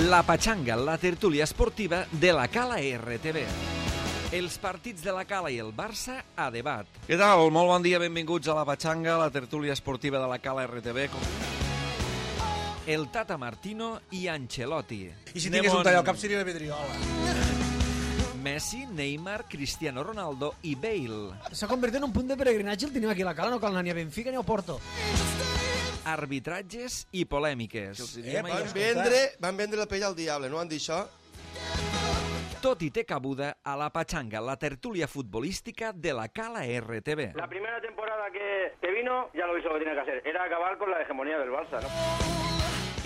La Patxanga, la tertúlia esportiva de la Cala RTV. Els partits de la Cala i el Barça a debat. Què tal? Molt bon dia, benvinguts a la Patxanga, la tertúlia esportiva de la Cala RTV. El Tata Martino i Ancelotti. I si tingués un tall al cap seria la Pedriola. Messi, Neymar, Cristiano Ronaldo i Bale. S'ha convertit en un punt de peregrinatge, el tenim aquí a la Cala, no cal anar ni a Benfica ni a Porto. Arbitratges i polèmiques. Van vendre la pell al diable, no van dir això? Tot i té cabuda a la Patxanga, la tertúlia futbolística de la Cala RTV. La primera temporada que vino, ya lo hizo lo que tenía que hacer. Era acabar con la hegemonía del Barça, ¿no?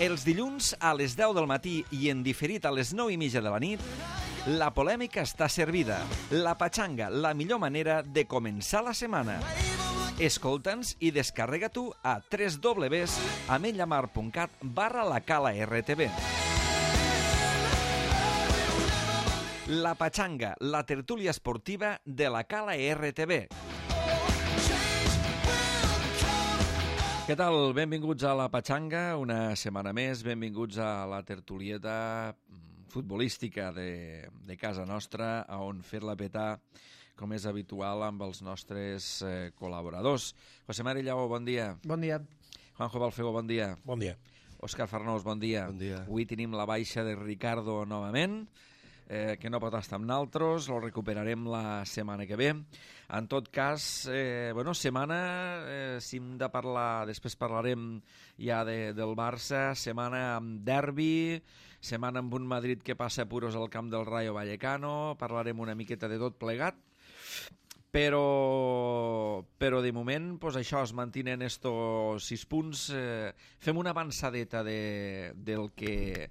Els dilluns a les 10 del matí i en diferit a les 9:30 de la nit, la polèmica està servida. La Patxanga, la millor manera de començar la setmana. Escolta'ns i descarrega-t'ho a www.ametlamar.cat/lacala-rtv. La Patxanga, la tertúlia esportiva de la Cala RTV. Què tal? Benvinguts a la Patxanga, una setmana més. Benvinguts a la tertulieta futbolística de casa nostra, on fer-la petar, com és habitual, amb els nostres col·laboradors. José Mari Lleó, bon dia. Bon dia. Juanjo Balfego, bon dia. Bon dia. Òscar Farnós, bon dia. Bon dia. Avui tenim la baixa de Ricardo novament, que no pot estar amb naltros, lo recuperarem la setmana que ve. En tot cas, setmana, si hem de parlar, després parlarem ja del Barça, setmana amb derbi, setmana amb un Madrid que passa puros al camp del Rayo Vallecano, parlarem una miqueta de tot plegat, però de moment pues això, es mantenen estos 6 punts. Fem una avançadeta del que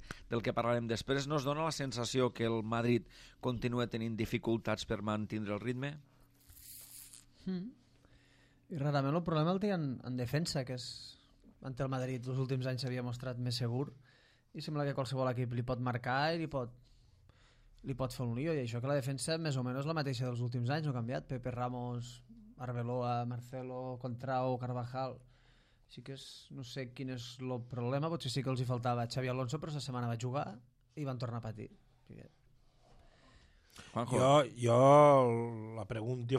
parlarem després. No es dona la sensació que el Madrid continua tenint dificultats per mantenir el ritme? I rarament el problema el té en defensa, que és ante el Madrid els últims anys s'havia mostrat més segur i sembla que qualsevol equip li pot marcar i li pot fer un lío, i això que la defensa més o menys és la mateixa dels últims anys, no ha canviat. Pepe, Ramos, Arbeloa, Marcelo, Contrao, Carvajal. Així que no sé quin és el problema, potser sí que els hi faltava Xavi Alonso, però la setmana va jugar i van tornar a patir. Juanjo. Jo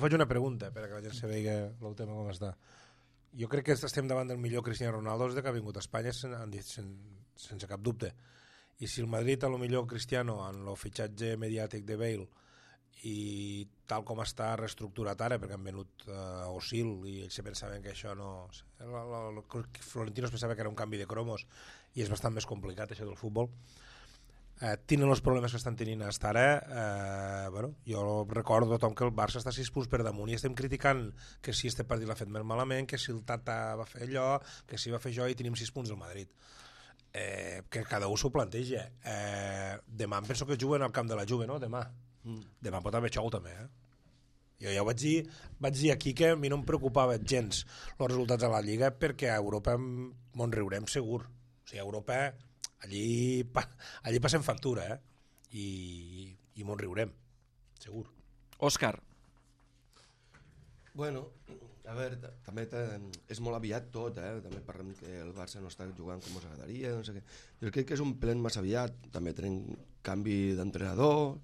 faig una pregunta perquè la gent se vegi el tema com està. Jo crec que estem davant del millor Cristiano Ronaldo des que ha vingut a Espanya sense cap dubte. I si el Madrid, a lo millor Cristiano, en el fitxatge mediàtic de Bale i tal com està reestructurat ara, perquè han venut Osil i ells se pensaven que això no... Florentino es pensava que era un canvi de cromos i és bastant més complicat això del futbol. Tenen els problemes que estan tenint fins ara. Jo recordo a tothom que el Barça està 6 punts per damunt i estem criticant que si este partit l'ha fet més malament, que si el Tata va fer allò, que si va fer això, i tenim 6 punts del Madrid. Que cada un s'ho planteja. Demà em penso que juguen al camp de la Juve, no? Demà pot haver xou també, Jo ja ho vaig dir aquí que a mi no em preocupava gens els resultats de la Lliga, perquè a Europa m'on riurem segur. O sigui, a Europa allí passem factura, i m'on riurem segur. Òscar. Bueno, a veure, també és molt aviat tot, també parlem que el Barça no està jugant com ens agradaria, no sé què. Jo crec que és un plen massa aviat, també tenim canvi d'entrenador,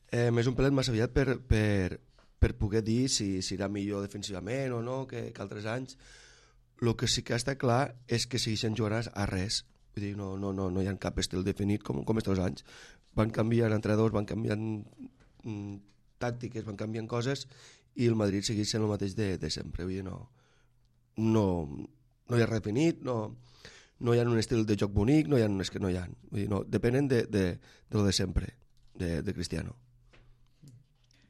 és un plen massa aviat per poder dir si serà millor defensivament o no que altres anys. El que sí que està clar és que segueixen jugant a res, vull dir, no hi ha cap estil definit com estos anys. Van canviant entrenadors, van canviant tàctiques, van canviant coses, i el Madrid segueix sent el mateix de sempre. Vull dir, no hi ha res definit, no hi ha un estil de joc bonic, és que no hi ha. Vull dir, depenen de lo de sempre, de Cristiano.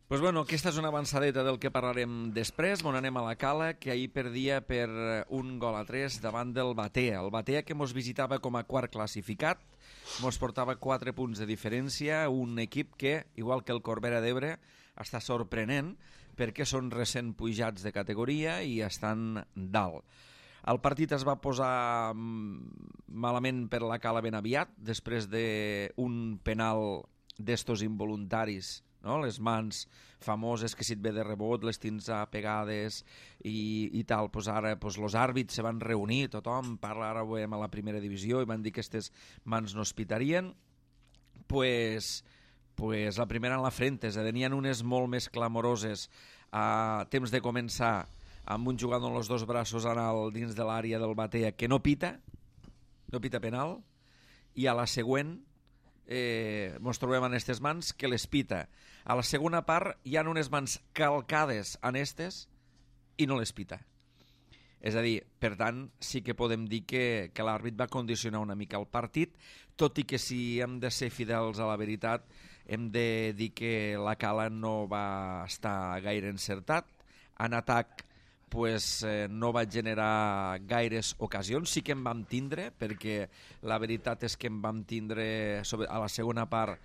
Pues bueno, aquesta és una avançadeta del que parlarem després. Anem a la Cala, que ahir perdia per 1-3 davant del Batea. El Batea, que mos visitava com a quart classificat, mos portava 4 punts de diferència, un equip que, igual que el Corbera d'Ebre, està sorprenent perquè són recent pujats de categoria i estan dalt. El partit es va posar malament per la Cala ben aviat, després d'un penal d'estos involuntaris no? Les mans famoses que si et ve de rebot les tens pegades i tal. Pues ara els àrbits se van reunir, tothom parla, ara ho veiem a la primera divisió, i van dir que aquestes mans no es pitarien. Pues la primera en la frente, n'hi ha unes molt més clamoroses a temps de començar, amb un jugador amb els dos braços dins de l'àrea del Batea que no pita penal, i a la següent ens trobem en aquestes mans que les pita. A la segona part hi ha unes mans calcades en aquestes i no les pita. És a dir, per tant, sí que podem dir que l'àrbit va condicionar una mica el partit, tot i que si hem de ser fidels a la veritat, hem de dir que la Cala no va estar gaire encertat. En atac no va generar gaires ocasions, sí que en vam tindre, perquè la veritat és que en vam tindre, a la segona part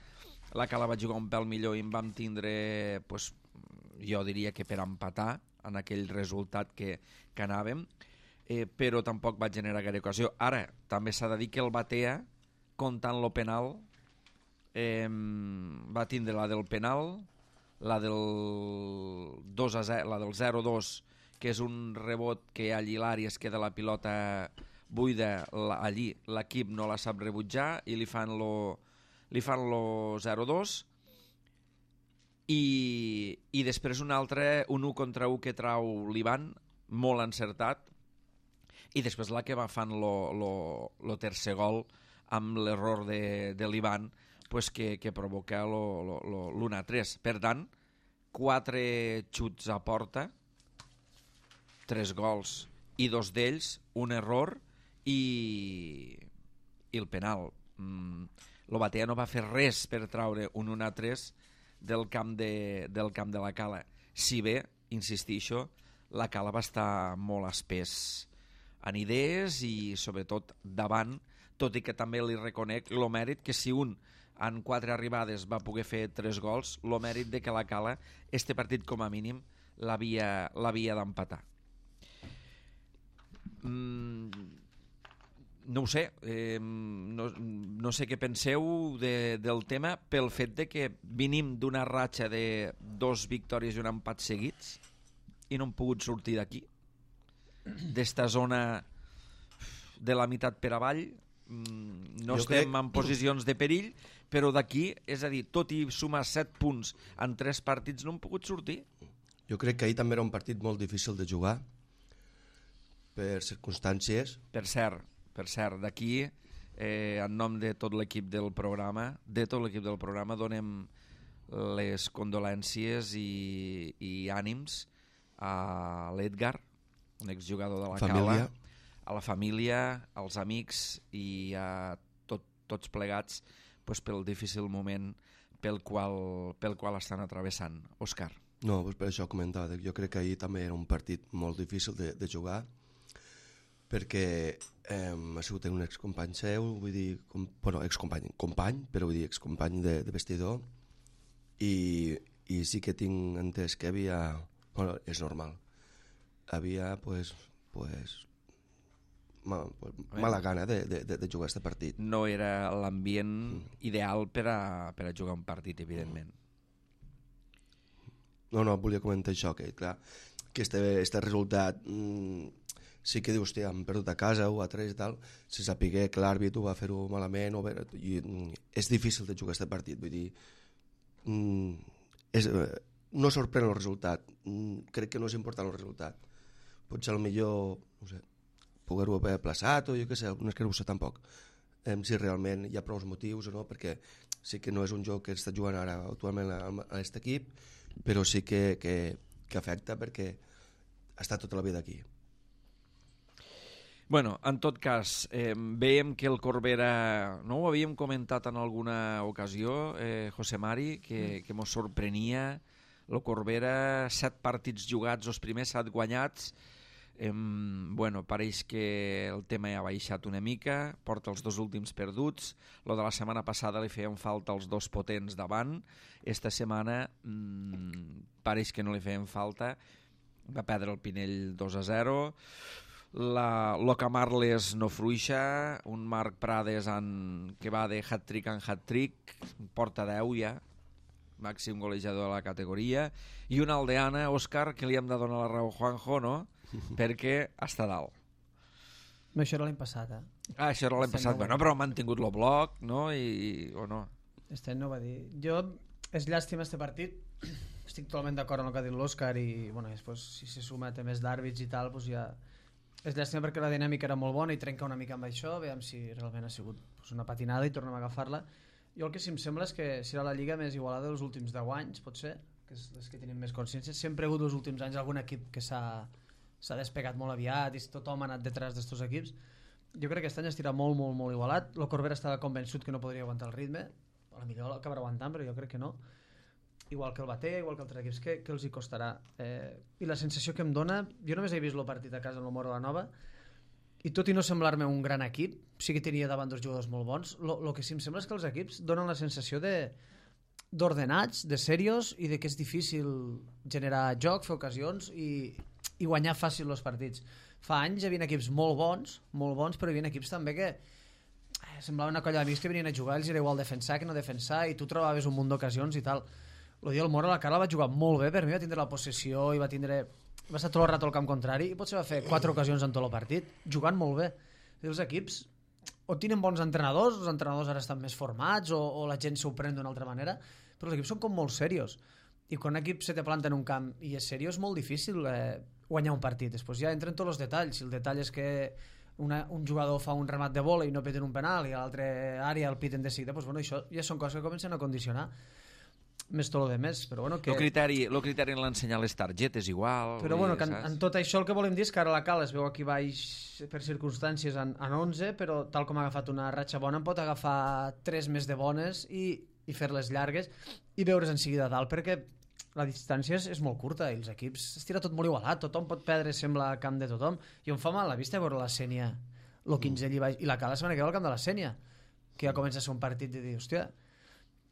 la Cala va jugar un pèl millor i en vam tindre, jo diria que per empatar en aquell resultat que anàvem, però tampoc va generar gaire ocasió. Ara, també s'ha de dir que el Batea, comptant lo penal, va tindre la del penal, la del 2-0, la del 0-2, que és un rebot que allí l'àrea es queda la pilota buida, allí l'equip no la sap rebutjar i li fan lo 0-2, i després un altre, un 1 contra 1 que trau l'Ivan, molt encertat, i després la que va fan lo tercer gol amb l'error de l'Ivan, que provoca l'1-3. Per tant, 4 xuts a porta, 3 gols, i 2 d'ells un error i el penal. El Batea no va fer res per traure un 1-3 del camp de la Cala. Si bé, insistixo, la Cala va estar molt espès en idees i sobretot davant, tot i que també li reconec el mèrit que si un en 4 arribades va poder fer 3 gols, el mèrit de que la Cala este partit com a mínim l'havia d'empatar. No ho sé, no sé què penseu del tema, pel fet de que venim d'una ratxa de 2 victòries i un empat seguits i no hem pogut sortir d'aquí, d'esta zona de la meitat per avall. No estem en posicions de perill, però d'aquí, és a dir, tot i sumar 7 punts en 3 partits no hem pogut sortir. Jo crec que ahir també era un partit molt difícil de jugar per circumstàncies. Per cert, d'aquí, en nom de tot l'equip del programa, donem les condolències i ànims a l'Edgar, un exjugador de la Cala, a la família, als amics i a tots plegats pel difícil moment pel qual estan atravessant. Òscar. No, per això comentava, jo crec que ahir també era un partit molt difícil de jugar, perquè ha sigut un excompany seu, vull dir, company, però vull dir excompany de vestidor, i sí que tinc entès que havia, és normal, havia mala gana de jugar aquest partit. No era l'ambient ideal per a jugar un partit, evidentment. No, volia comentar això, que clar, que este resultat sí que dius, hòstia, hem perdut a casa 1-3 i tal, si sapigué que l'àrbit ho va fer-ho malament, és difícil de jugar aquest partit, vull dir, no sorprèn el resultat, crec que no és important el resultat, potser millor, no sé, poder-ho haver plaçat o jo què sé, no és que no ho sé tampoc, si realment hi ha prou motius o no, perquè sí que no és un joc que està jugant ara actualment a aquest equip, però sí que afecta perquè està tota la vida aquí. Bueno, en tot cas, veiem que el Corbera, no ho havíem comentat en alguna ocasió, José Mari, que mos sorprenia el Corbera, 7 partits jugats, els primers 7 guanyats. Bueno, pareix que el tema ja ha baixat una mica, porta els 2 últims perduts, lo de la setmana passada li feien falta els 2 potents davant, esta setmana pareix que no li feien falta, va perdre el Pinell 2-0, lo Camarles no fruixa, un Marc Prades que va de hat-trick en hat-trick, porta 10 ja, màxim golejador de la categoria, i una aldeana, Òscar, que li hem de donar la raó a Juanjo, no? Perquè està dalt. Això era l'any passat, Això era l'any passat, bueno, però ha mantingut el bloc, no? O no? Este any no va dir. Jo, és llàstima este partit, estic totalment d'acord amb el que ha dit l'Òscar i bueno, després si se suma més d'àrbits i tal, doncs ja... És llàstima perquè la dinàmica era molt bona i trenca una mica amb això, veiem si realment ha sigut una patinada i tornem a agafar-la. Jo el que sí em sembla és que serà la lliga més igualada dels últims 10 anys, potser, que és les que tenim més consciència. Sempre ha hagut els últims anys algun equip que s'ha despegat molt aviat i tothom ha anat detrás d'estos equips. Jo crec que aquest any estirà molt, molt, molt igualat. El Corbera estava convençut que no podria aguantar el ritme, potser l'acabarà aguantant, però jo crec que no. Igual que el Batea, igual que altres equips, que els hi costarà. I la sensació que em dona, jo només he vist el partit a casa en l'Humor de la Nova, i tot i no semblar-me un gran equip, sí que tenia davant dos jugadors molt bons, el que sí em sembla és que els equips donen la sensació d'ordenats, de serios, i de que és difícil generar joc, fer ocasions i guanyar fàcil els partits. Fa anys hi havia equips molt bons, però hi havia equips també que semblava una colla d'amics que venien a jugar, els era igual defensar que no defensar, i tu trobaves un munt d'ocasions i tal. El dia del Mora, la Carla va jugar molt bé, per mi va tindre la possessió i va estar tot el rato al camp contrari i potser va fer 4 ocasions en tot el partit, jugant molt bé. I els equips o tenen bons entrenadors, els entrenadors ara estan més formats o la gent s'ho pren d'una altra manera, però els equips són com molt serios. I quan un equip se te planta en un camp i és seriós, és molt difícil guanyar un partit. Després ja entren tots els detalls. Si el detall és que un jugador fa un remat de bola i no peten un penal i a l'altra àrea el piten de seguida, doncs, bueno, això ja són coses que comencen a condicionar més tot el de més, però bueno, que... El criteri en l'ensenyar les targetes igual... Però bueno, que en tot això el que volem dir és que ara la Cala es veu aquí baix per circumstàncies en 11, però tal com ha agafat una ratxa bona en pot agafar 3 més de bones i fer-les llargues i veure's en seguida dalt, perquè la distància és molt curta i els equips es tira tot molt igualat, tothom pot perdre, sembla, a camp de tothom, i em fa mal la vista veure la Sènia, el 15 allà baix, i la Cala la setmana que ve al camp de la Sènia, que ja comença a ser un partit de dir, hòstia,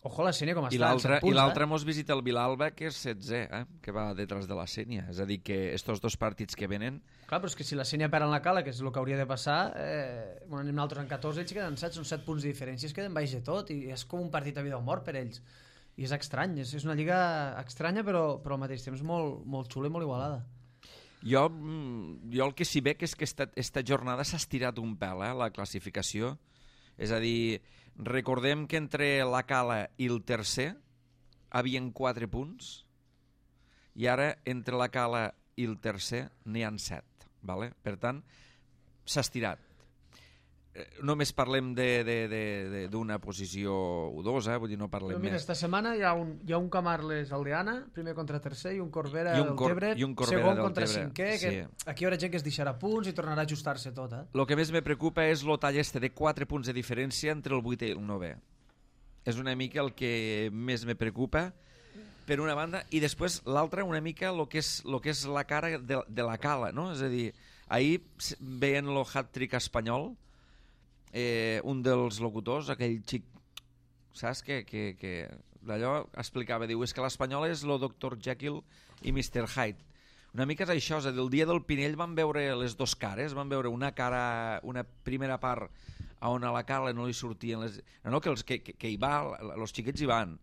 ojo la Sènia com està. I l'altre mos visita el Vilalba, que és 16è, que va detrás de la Sènia. És a dir, que estos dos partits que venen... Clar, però és que si la Sènia perd en la Cala, que és el que hauria de passar, anem nosaltres en 14, ells queden 7, són 7 punts de diferència, es queden baix de tot, i és com un partit a vida o mort per ells. I és estrany, és una lliga estranya, però al mateix temps molt, molt xula i molt igualada. Jo el que sí veig és que esta jornada s'ha estirat un pèl, la classificació. És a dir... Recordem que entre la Cala i el tercer havien 4 punts i ara entre la Cala i el tercer n'hi han 7. Vale? Per tant, s'ha estirat. Només parlem d'una posició o dos, vull dir, no parlem mira, més. Esta setmana hi ha un Camarles Aldeana, primer contra tercer, i un Corbera del Tebre, segon contra cinquè, que aquí hi haurà gent que es deixarà punts i tornarà a ajustar-se tot. El que més me preocupa és el tall de 4 punts de diferència entre el 8è i el 9è. És una mica el que més me preocupa, per una banda, i després l'altra una mica el que és la cara de la Cala, no? És a dir, ahir veient el hat-trick espanyol, un dels locutors, aquell xic, saps, que d'allò explicava, diu, és que l'Espanyol és el Dr. Jekyll i Mr. Hyde. Una mica és això, és a dir, el dia del Pinell van veure les dos cares, van veure una primera part on a la Carla no li sortien les... No, que hi va, els xiquets hi van,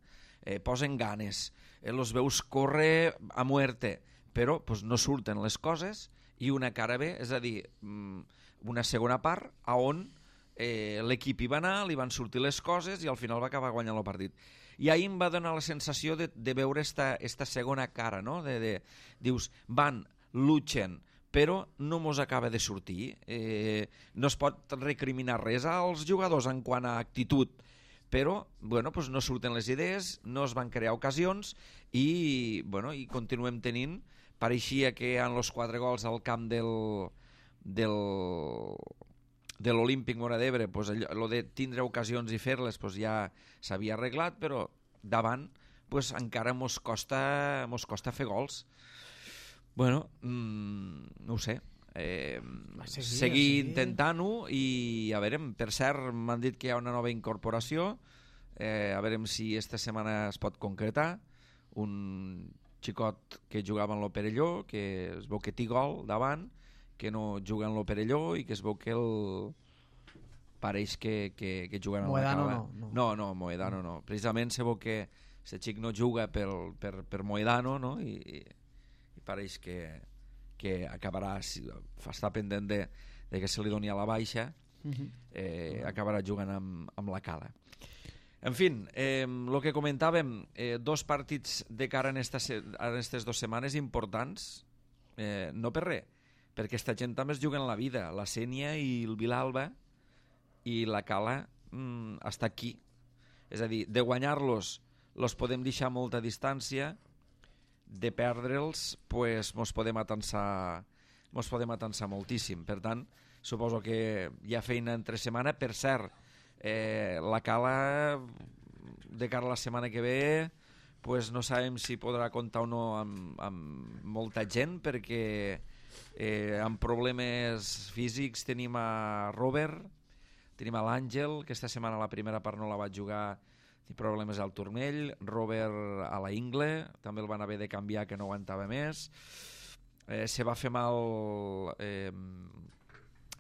posen ganes, els veus córrer a muerte, però pues, no surten les coses, i una cara bé, és a dir, una segona part on l'equip hi va anar, li van sortir les coses i al final va acabar guanyant el partit. I ahir em va donar la sensació de veure esta segona cara, no? Dius, van, luchen, però no mos acaba de sortir. No es pot recriminar res als jugadors en quant a actitud, però bueno, pues no surten les idees, no es van crear ocasions i continuem tenint, pareixia que en els 4 gols al camp de l'Olímpic Móra d'Ebre, pues, allò de tindre ocasions i fer-les pues, ja s'havia arreglat, però davant pues, encara mos costa fer gols. Bueno, no ho sé. Seguir intentant-ho i a veure, per cert, m'han dit que hi ha una nova incorporació, a veure si esta setmana es pot concretar, un xicot que jugava en l'Operelló, que es veu que té gol davant, que no juga en l'Operelló i que es veu que pareix que juguen en la Cala. No, Moedano no. Precisament se veu que el xic no juga per Moedano, no? I pareix que acabarà, està pendent de que se li doni a la baixa, acabarà jugant amb la Cala. En fi, el que comentàvem, 2 partits de cara en aquestes 2 setmanes importants, no per res, perquè aquesta gent també es juguen la vida, la Sénia i el Vilalba, i la Cala està aquí. És a dir, de guanyar-los los podem deixar a molta distància, de perdre'ls pues, mos podem atansar moltíssim. Per tant, suposo que hi ha feina entre setmana. Per cert, la Cala de cara a la setmana que ve pues no sabem si podrà comptar o no amb molta gent, perquè amb problemes físics tenim a Robert, tenim a l'Àngel, que esta setmana la primera part no la va jugar, té problemes al turmell, Robert a la ingle, també el van haver de canviar, que no aguantava més, se va fer mal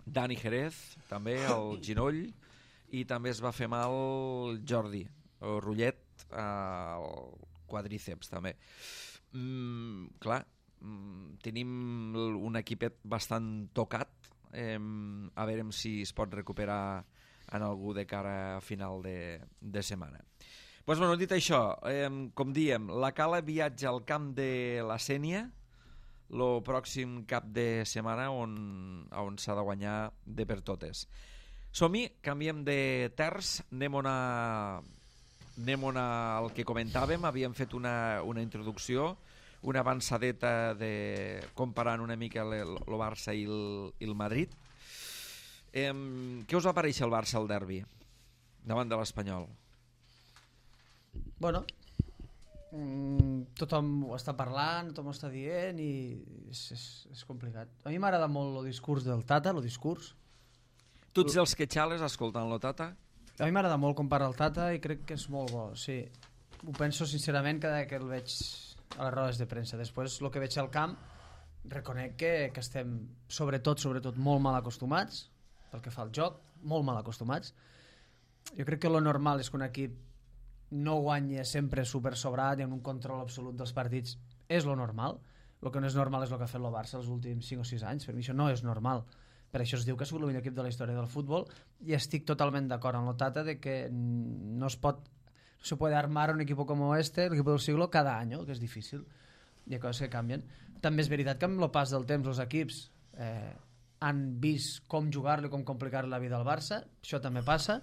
Dani Jerez, també al ginoll, i també es va fer mal Jordi, o Rullet, al quadríceps també. Clar, tenim un equipet bastant tocat, a veure si es pot recuperar en algú de cara a final de setmana. Pues bueno, dit això, com diem, la Cala viatja al camp de la Sénia el pròxim cap de setmana on s'ha de guanyar de per totes. Som-hi, canviem de terç, anem al que comentàvem, havíem fet una introducció, una avançadeta comparant una mica el Barça i el Madrid. Què us va parèixer el Barça al derbi davant de l'Espanyol? Bueno, tothom ho està parlant, tothom ho està dient i és complicat. A mi m'agrada molt el discurs del Tata, el discurs. Tu ets dels que xales escoltant el Tata? A mi m'agrada molt com parla el Tata i crec que és molt bo, sí. Ho penso sincerament cada que el veig a les rodes de premsa. Després, el que veig al camp, reconec que estem sobretot molt mal acostumats pel que fa al joc, molt mal acostumats. Jo crec que lo normal és que un equip no guanya sempre super sobrat i amb un control absolut dels partits. És lo normal. El que no és normal és el que ha fet el Barça els últims 5 o 6 anys. Per mi això no és normal. Per això es diu que ha sigut el millor equip de la història del futbol i estic totalment d'acord amb el Tata de que no se puede armar un equipo como este, el equipo del siglo, cada año, que és difícil. Hi ha coses que canvien. També és veritat que amb el pas del temps els equips han vist com jugar-li, com complicar la vida al Barça. Això també passa.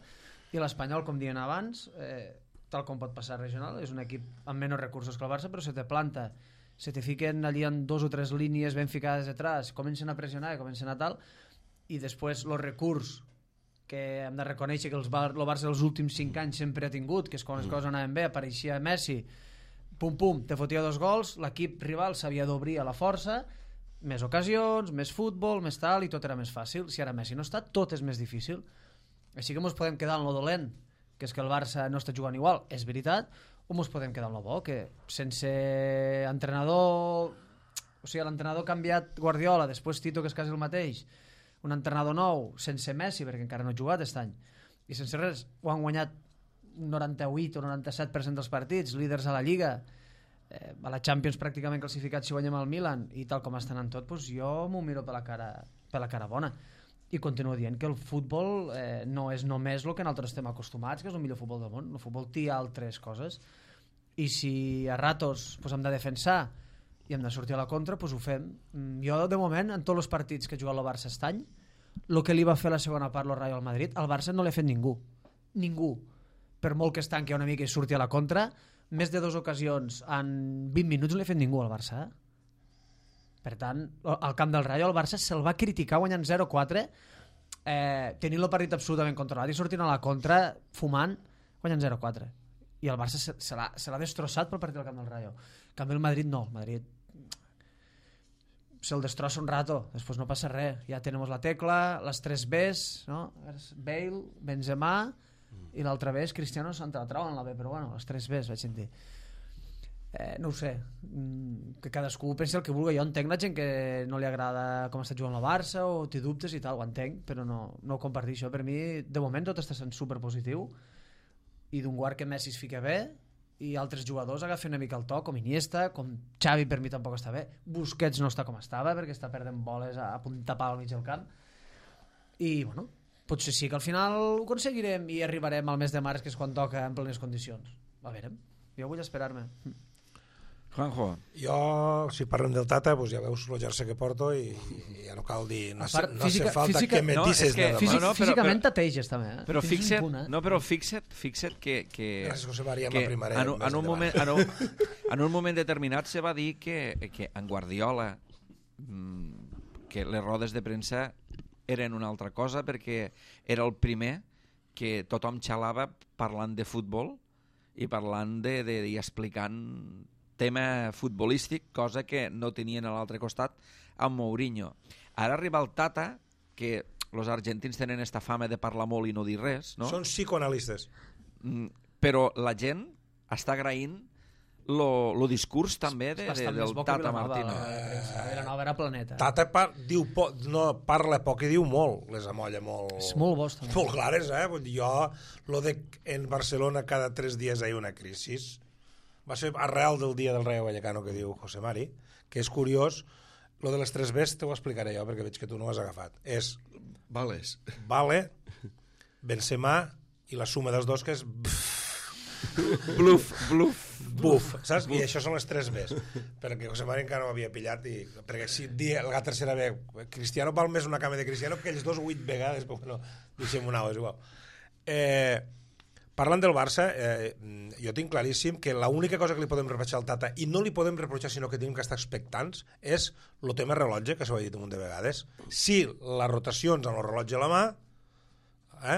I l'Espanyol, com diuen abans, tal com pot passar regional, és un equip amb menys recursos que el Barça, però se te planta, se te fiquen allí en 2 o 3 línies ben ficades detrás, comencen a pressionar i comencen a tal, i després el recurs que hem de reconèixer que el Barça els últims 5 anys sempre ha tingut, que és quan les coses anaven bé, apareixia Messi, pum pum, te fotia 2 gols, l'equip rival s'havia d'obrir a la força, més ocasions, més futbol, més tal, i tot era més fàcil. Si ara Messi no està, tot és més difícil. Així que ens podem quedar en lo dolent, que és que el Barça no està jugant igual, és veritat, o ens podem quedar en lo bo, que sense entrenador, o sigui, l'entrenador ha canviat Guardiola, després Tito, que és quasi el mateix, un entrenador nou, sense Messi, perquè encara no ha jugat aquest any, i sense res, ho han guanyat 98 o 97% dels partits, líders a la Lliga, a la Champions pràcticament classificats si guanyem el Milan, i tal com estan en tot, doncs jo m'ho miro per la cara bona. I continuo dient que el futbol no és només el que nosaltres estem acostumats, que és el millor futbol del món. El futbol té altres coses, i si a ratos hem de defensar i hem de sortir a la contra, doncs ho fem. Jo, de moment, en tots els partits que ha jugat el Barça aquest any, el que li va fer la segona part el Real Madrid, al Barça no l'ha fet ningú. Ningú. Per molt que es tanqui una mica i surti a la contra, més de 2 ocasions en 20 minuts no l'ha fet ningú al Barça. Per tant, al camp del Rayo el Barça se'l va criticar guanyant 0-4, tenint el partit absolutament controlat i sortint a la contra, fumant, guanyant 0-4. I el Barça se l'ha destrossat pel partit del camp del Rayo. En canvi el Madrid no, el Madrid se'l destrossa un rato, després no passa res, ja tenim la tecla, les 3 Bs, no? Bale, Benzema i l'altra B és Cristiano, Santa la trauen la B, però bueno, les 3 Bs vaig sentir. No ho sé, que cadascú pensi el que vulgui. Jo entenc la gent que no li agrada com està jugant el Barça o té dubtes i tal, ho entenc, però no ho comparteixo. Per mi, de moment, tot està sent superpositiu, i d'un guard que Messi es fica bé i altres jugadors agafen una mica el to, com Iniesta, com Xavi per mi tampoc està bé, Busquets no està com estava perquè està perdent boles a punta pal al mig del camp, i bueno, potser sí que al final ho aconseguirem i arribarem al mes de març, que és quan toca, en plenes condicions. A veure, jo vull esperar-me. Juanjo. Jo, si parlem del Tata, doncs ja veus el jersei que porto i ja no cal dir, no hace falta que me dices nada más. Físicament t'ateixes també, Però fixa't que gràcies, José María, amb la primera. En un moment determinat se va dir que en Guardiola que les rodes de premsa eren una altra cosa perquè era el primer que tothom xalava parlant de futbol i parlant i explicant tema futbolístic, cosa que no tenien a l'altre costat amb Mourinho. Ara arriba el Tata, que els argentins tenen esta fama de parlar molt i no dir res, no? Són psicoanalistes. Però la gent està agraint el discurs també del Tata Martino. Vilanova era planeta. Tata parla poc i diu molt, les amolla molt... És molt bo, també. Molt clares, eh? Jo, lo de en Barcelona cada 3 dies hi ha una crisi, va ser arrel del dia del Rayo Vallecano que diu José Mari, que és curiós, lo de les 3 Bs t'ho explicaré jo perquè veig que tu no ho has agafat. És Vales. Vale, Benzema i la suma dels dos que és bluff, saps? I això són les 3 Bs, perquè José Mari encara no ho havia pillat, perquè si la tercera B, Cristiano val més una cama de Cristiano que ells dos 8 vegades, però bueno, deixem una és igual. Parlant del Barça, jo tinc claríssim que l'única cosa que li podem reprochar al Tata, i no li podem reprochar sinó que tenim que estar expectants, és el tema rellotge, que s'ho he dit un munt de vegades. Si les rotacions amb el rellotge a la mà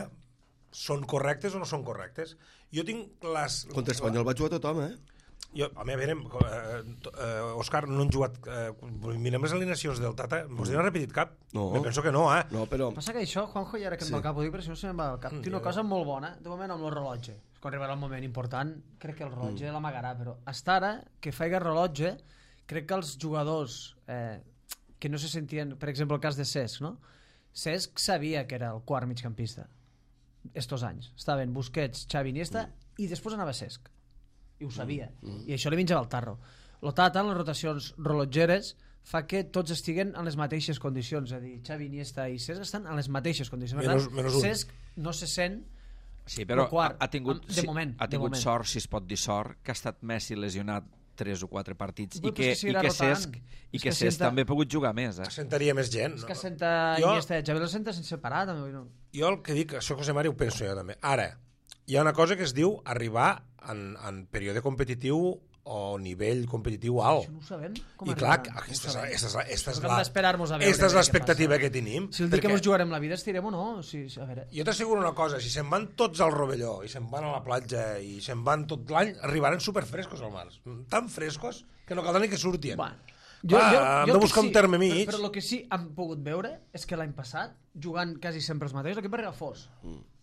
són correctes o no són correctes. Jo tinc les... Contra Espanyol va jugar tothom, a veure, Òscar, no han jugat... mirem les alineacions del Tata, vos n'han repetit cap? No. Me penso que no, No, però... Passa que això, Juanjo, i ara que em va al cap ho dic, però si no se me'n va al cap. Té una cosa molt bona, de moment amb el rellotge. Quan arribarà el moment important, crec que el rellotge l'amagarà, però hasta ara, que faig el rellotge, crec que els jugadors que no se sentien... Per exemple, el cas de Cesc, no? Cesc sabia que era el quart migcampista estos anys. Estaven Busquets, Xavi, Iniesta, i després anava Cesc. I ho sabia. I això li menjava el tarro. El Tata, en les rotacions rellotgeres, fa que tots estiguen en les mateixes condicions. És a dir, Xavi, Iniesta i Cesc estan en les mateixes condicions. Menys un. Cesc no se sent... Sí, però quart, ha tingut moment. sort, si es pot dir sort, que ha estat Messi lesionat 3 o 4 partits i que Cesc també ha pogut jugar més. Sentaria més gent. És que senta Iniesta i Xavi el senta sense parar. També. Jo el que dic, això José Mari ho penso jo també. Ara, hi ha una cosa que es diu arribar en període competitiu o nivell competitiu alt. Això no ho sabem. I clar, aquesta és l'expectativa que tenim. Si el dia que ens jugarem la vida estirem o no. A veure. Jo t'asseguro una cosa, si se'n van tots al Rovelló i se'n van a la platja i se'n van tot l'any, arribaran superfrescos al mar. Tan frescos que no caldrà ni que surtien. Hem de buscar un terme mig. Però el que sí hem pogut veure és que l'any passat, jugant quasi sempre els mateixos, l'equip va arribar fos.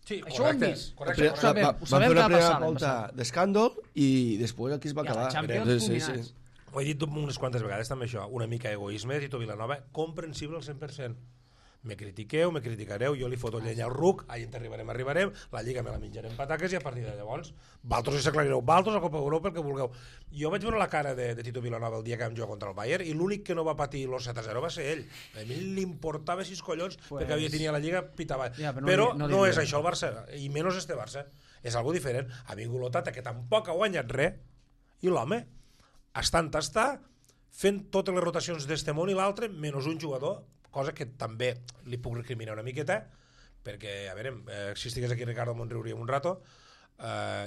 Sí, això ho hem vist. Correcte. Ho sabem van fer una que va primera passar. volta d'escàndol i després aquí es va I a la acabar. Champions combinats. Ho he dit unes quantes vegades també això, una mica egoisme, Tito Vilanova, comprensible al 100%. Me critiqueu, me criticareu, jo li foto llenya al ruc, allà arribarem, la Lliga me la menjarem pataques i a partir de llavors, valtros si s'aclarireu, valtros a Copa Europa, el que vulgueu. Jo vaig veure la cara de Tito Vilanova el dia que vam jugar contra el Bayern i l'únic que no va patir los 7-0 va ser ell. A mi l'importava 6 collons perquè havia tenia la Lliga pitava. Però no és això el Barça, i menys este Barça. És algo diferent. Ha vingut l'Otata, que tampoc ha guanyat res, i l'home, estant fent totes les rotacions d'este món i l'altre, menys un jugador, cosa que també li puc recriminar una miqueta, perquè, a veure, si estigués aquí Ricardo me'n riuríem un rato,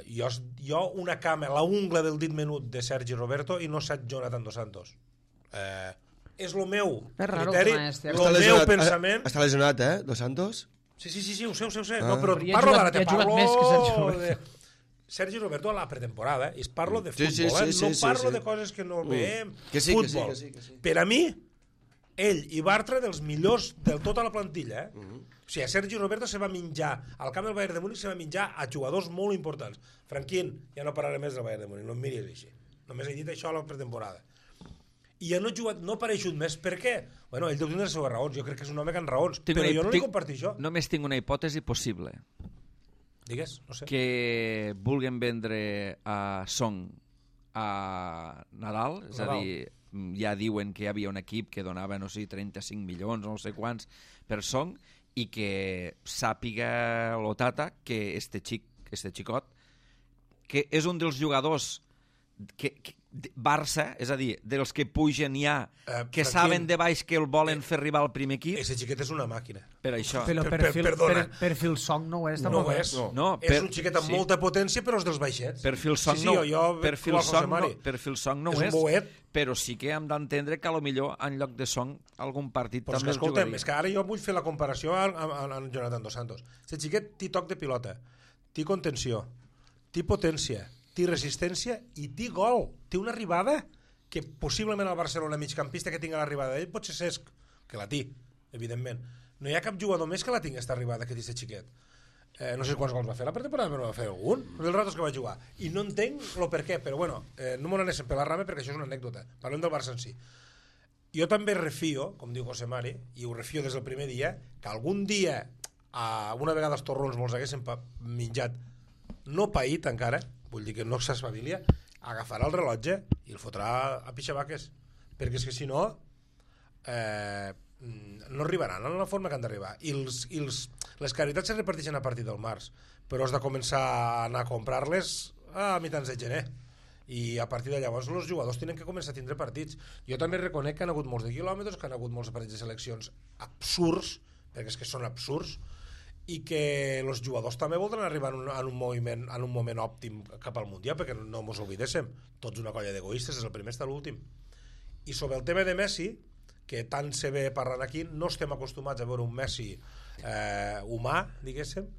jo una cama, la ungla del dit menut de Sergi Roberto i no set Jonathan Dos Santos. És el meu criteri, el meu pensament... Està lesionat, Dos Santos? Sí, ho sé. No, però parlo d'ara, te parlo de... Sergi Roberto a la pretemporada, i parlo de futbol, no parlo de coses que no veiem. Futbol. Per a mi, ell i Bartra dels millors de tota la plantilla. O sigui, Sergi Roberto se va menjar al camp del Bayern de Múnich, se va menjar a jugadors molt importants. Franquín, ja no parlaré més del Bayern de Múnich, no em miris així, només he dit això a la pretemporada. I ja no ha jugat, no ha apareixut més. Per què? Bueno, ell deu tenir les seves raons, jo crec que és un home que ha raons, però jo no li comparteixo. Només tinc una hipòtesi possible. Digues, no sé. que vulguin vendre a Song a Nadal, és a dir, ja diuen que hi havia un equip que donava, no sé, 35 milions, no sé quants, per Song, i que sàpiga l'Otata que este xicot, que és un dels jugadors Barça, és a dir, dels que pugen ja, que saben de baix que el volen fer arribar al primer equip. Ese xiquet és una màquina. Per això. Però perfil Song no ho és. No ho és. És un xiquet amb molta potència, però és dels baixets. Perfil Song no ho és. Però sí que hem d'entendre que potser en lloc de Song algun partit també el jugaria. És que ara jo vull fer la comparació amb Jonathan Dos Santos. Aquest xiquet té toc de pilota, té contenció, té potència, té resistència i té gol. Té una arribada que possiblement el Barcelona migcampista que tingui l'arribada d'ell pot ser Cesc, que la té, evidentment. No hi ha cap jugador més que la tingui aquesta arribada que té aquest xiquet. No sé quants gols va fer la pretemporada, però va fer algun dels ratos que va jugar. I no entenc el per què, però bueno, no m'ho anéssim per la rama perquè això és una anècdota. Parlem del Barça en si. Jo també refio, com diu José Mari, i ho refio des del primer dia, que algun dia, una vegada els torrons me'ls haguessin menjat, no paït encara, vull dir que no s'espavilia, agafarà el rellotge i el fotrà a pixabaques, perquè és que si no no arribaran en la forma que han d'arribar. I les caritats es reparteixen a partir del març, però has de començar a anar a comprar-les a mitjans de gener, i a partir de llavors els jugadors tenen que començar a tindre partits. Jo també reconec que han hagut molts de quilòmetres, que han hagut molts partits de seleccions absurds, perquè és que són absurds, i que els jugadors també voldran arribar en un moment òptim cap al Mundial, perquè no ens oblidéssim, tots una colla d'egoistes, és el primer fins a l'últim. I sobre el tema de Messi, que tant se ve parlant aquí, no estem acostumats a veure un Messi humà, diguéssim,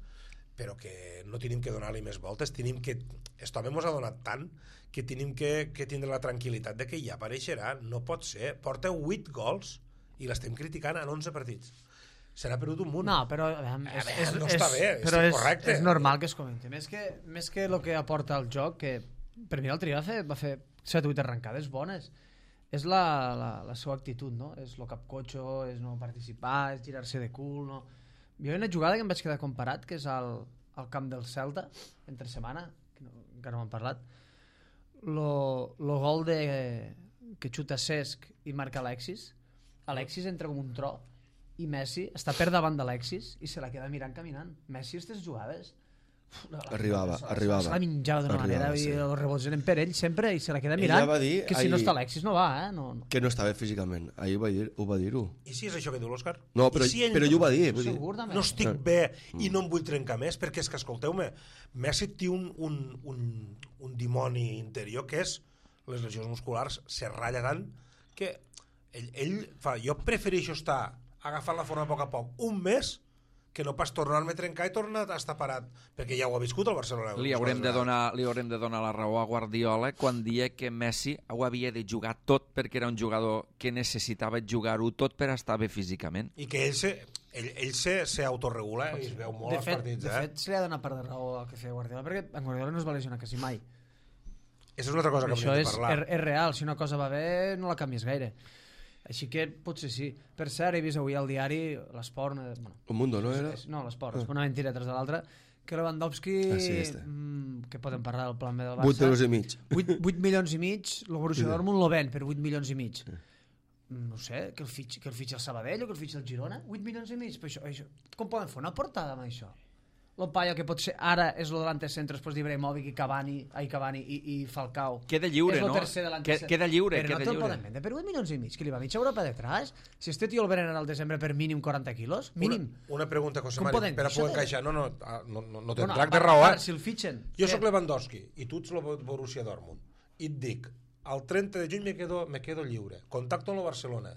però que no tenim que donar-li més voltes, tenim que... Esto a mi ens ha donat tant que tenim que tindre la tranquil·litat de que ja apareixerà, no pot ser. Porta 8 gols i l'estem criticant en 11 partits. Se n'ha perdut un munt. No, però no està bé, correcte. És normal que es comenti. Més que el que aporta el joc, que per mi l'altre dia va fer 7 o 8 arrencades bones, és la seva actitud, no? És el capcotxo, és no participar, és girar-se de cul, no? Jo hi ha una jugada que em vaig quedar comparat, que és al camp del Celta, entre setmana, que encara no m'han parlat, el gol que xuta Cesc i marca Alexis entra com un tro, i Messi està per davant d'Alexis i se la queda mirant caminant. Messi, aquestes jugades arribava se la menjava d'una manera, sí. I els rebots eren per ell sempre i se la queda mirant, que si no està Alexis no va, no. Que no estava físicament, ahir ho va dir-ho. I si és això que diu l'Òscar? No, però ell ho va dir. No estic bé i no em vull trencar més, perquè és que, escolteu-me, Messi té un dimoni interior que és les lesions musculars, se ratlla tant que ell fa, jo prefereixo estar agafant la forma a poc a poc un mes que no pas tornar-me a trencar i tornar a estar parat, perquè ja ho ha viscut el Barcelona. Li haurem de donar la raó a Guardiola quan dia que Messi ho havia de jugar tot perquè era un jugador que necessitava jugar-ho tot per estar bé físicament. I que ell se autorregula i es veu molt als partits. De fet, se li ha donat part de raó al que feia Guardiola, perquè en Guardiola no es va lesionar quasi mai. Això és una altra cosa que hauríem de parlar. Això és real, si una cosa va bé no la canvies gaire. Així que potser sí. Per cert, he vist avui al diari l'Esport... Un Mundo, no era? No, l'Esport, una mentira tras de l'altra, que Lewandowski, que podem parlar del plan B del Barça... 8 milions i mig, el Borussia Dortmund lo ven per 8 milions i mig. No sé, que el fitxi el Sabadell o que el fitxi el Girona, 8 milions i mig. Això, com poden fer una portada amb això? El paio que pot ser ara és el delante centre després d'Ibrahimovic i Cavani i Falcao. Queda lliure, no? Queda lliure. Però no te'l poden vendre per 8 milions i mig, que li va mitja Europa detrás. Si este tio el venen al desembre per mínim 40 quilos, mínim. Una pregunta, José Mari, per a poder encaixar. No tens rac de raó, Si el fitxen... Jo soc Lewandowski i tu ets el Borussia Dortmund i et dic, el 30 de juny me quedo lliure, contacto amb el Barcelona,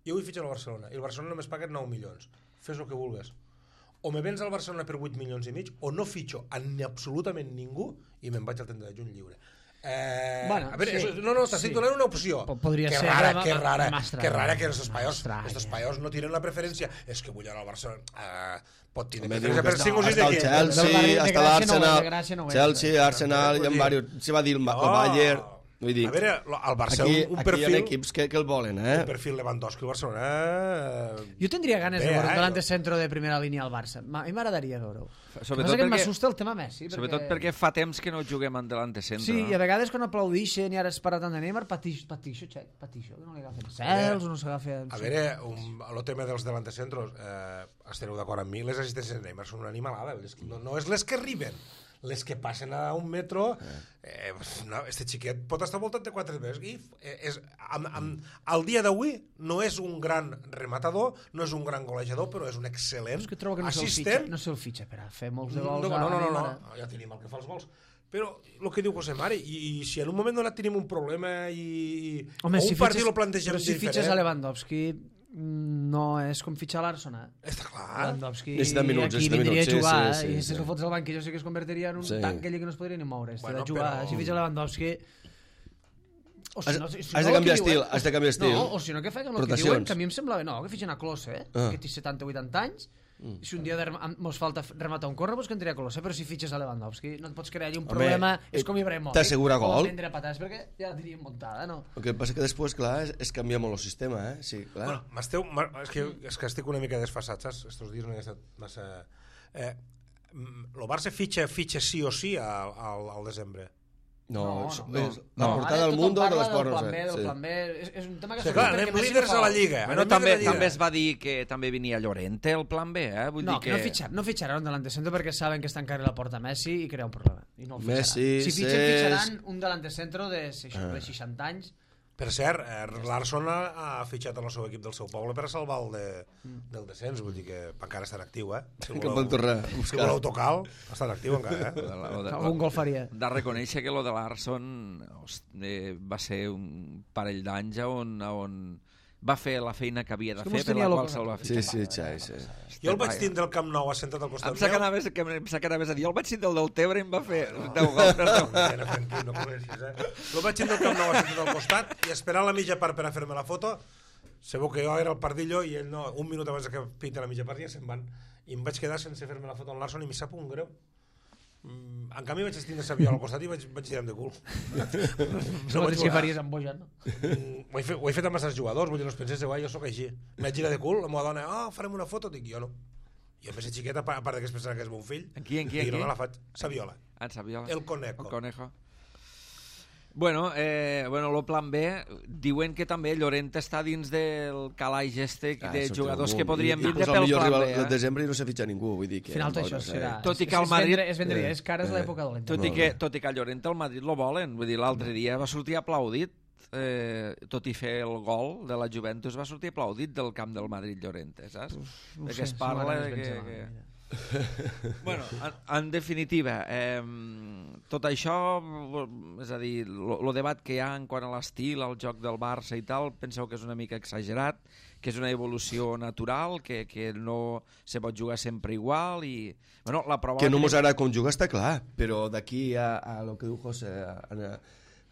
jo vull fitxar al Barcelona i el Barcelona només paga 9 milions, fes el que vulgues. O me vens al Barcelona per 8 milions i mig o no fitxo a absolutament ningú i me'n vaig al 30 de juny lliure. Bueno, a veure, sí, t'estic donant una opció. Podria ser. Que rara que estos paios no tiren la preferència. És que vull anar al Barcelona. Pot tenir preferència per 5 o 6 equips. Chelsea, hasta l'Arsenal. Chelsea, Arsenal, i en varios. Se va dir el Bayern. Vull dir, A veure, el Barça, aquí, un aquí perfil... hi ha equips que el volen, Un perfil Lewandowski al Barcelona... Jo tindria ganes de Bé, veure un delante centro de primera línia al Barça. A mi m'agradaria veure-ho. Sobretot Passa que perquè- m'assusta el tema Messi. Sobretot perquè fa temps que no juguem en delante centre. Sí, no? i a vegades quan aplaudixen i ara es para tant de Neymar, patixo, que no li agafen cels o no s'agafa... A veure, el tema dels delantecentros, estareu d'acord amb mi, les assistències de Neymar són una animalada. No és les que arriben, les que passen a un metro. No, este xiquet pot estar voltat de 4 metres i al dia d'avui no és un gran rematador, no és un gran golejador, però és un excel·lent És que trobo que assistent. no se'l fitxa per a fer molts de gols. No, ja tenim el que fa els gols. Però el que diu José Mari, i si en un moment donat tenim un problema i Home, o un partit lo plantegem però si diferent... fitxes a Lewandowski no és com fitxar l'Arson, Està clar. Lewandowski Necessita minuts, aquí necessita vindria a minuts, jugar, sí, i si sí. el fots al banquillo sí que es convertiria en un tanc allí que no es podria ni moure. Bueno, De jugar, però- si fitxa Lewandowski... O Has- si no, has de canviar estil, has de canviar estil. No, o si no, que facin el que Rotacions. diuen, que a mi em semblava... No, que fitxen a Klose, que té 70-80 anys, i si un dia mos falta rematar un corre, doncs que entraria a Klose, però si fitxes a Lewandowski no et pots crear allà un problema, és com Ibrahimovic. t'assegura gol. O prendre patades, perquè ja la teníem muntada, no? El que passa que després, clar, es canvia molt el sistema, Sí, clar. Bueno, és que estic una mica desfasat, saps? Estos dies no he estat massa... El Barça fitxa sí o sí al desembre. No, no. la portada del Mundo de les pornes. Del plan B, és un tema que... Sí, clar, anem líders a la Lliga. Bueno, anem també, líders a la també Lliga. es va dir que també venia Llorente el plan B, Vull No, dir que... no fitxaran un delante centro perquè saben que està encara la porta Messi i crea un problema. I no el Messi, fitxaran. Si fitxen, Cesc- fitxaran un delante centro de 60 anys. Per cert, l'Arson ha fitxat el seu equip del seu poble per a salvar del descens, vull dir que encara està en actiu, Si Que van tornar a si buscar. voleu tocar, està en actiu encara, Algun gol faria. De reconèixer que lo de l'Arson va ser un parell d'anys on va fer la feina que havia de És que fer mos per tenia la locos qual se'l va a fitxar. Sí, Xai, sí. Jo el vaig tindre al Camp Nou assentat al costat Em sap que anaves a dir, jo el vaig tindre el del Tebre i em va fer 10 gols. No comencis, El vaig tindre al Camp Nou assentat al costat i esperant la mitja part per a fer-me la foto. Segur que jo era el pardillo i ell no, un minut abans que pinta la mitja part ja se'n van. I em vaig quedar sense fer-me la foto amb l'Arson i m'hi sap un greu. En canvi vaig tindre Saviola al costat i vaig tirar de cul. No vaig que faries amb Bojan, no? Ho he fet amb els jugadors, vull dir, no es pensés, jo sóc així. M'he girat de cul, la meva dona, farem una foto, dic, jo no. Jo més xiqueta, a part que es pensava que és mon fill, En qui? i no me la faig. Saviola. En Saviola. El Conejo. El Conejo. Bueno, el plan B, diuen que també Llorente està dins del calaix de jugadors que podrien vindre pel plan B. El desembre i no s'ha fitxat ningú, vull dir que... Al final tot això serà... Tot i que el Madrid... És vendria, és cara, és l'època dolenta. Tot i que a Llorente el Madrid lo volen. Vull dir, l'altre dia va sortir aplaudit, tot i fer el gol de la Juventus, va sortir aplaudit del camp del Madrid Llorente, saps? Que es parla de que... Bueno, en definitiva, tot això, és a dir, el debat que hi ha en quant a l'estil, al joc del Barça i tal, penseu que és una mica exagerat, que és una evolució natural, que no se pot jugar sempre igual i... Bueno, la prova Que no mos agrada com jugar està clar, però d'aquí a lo que diu José,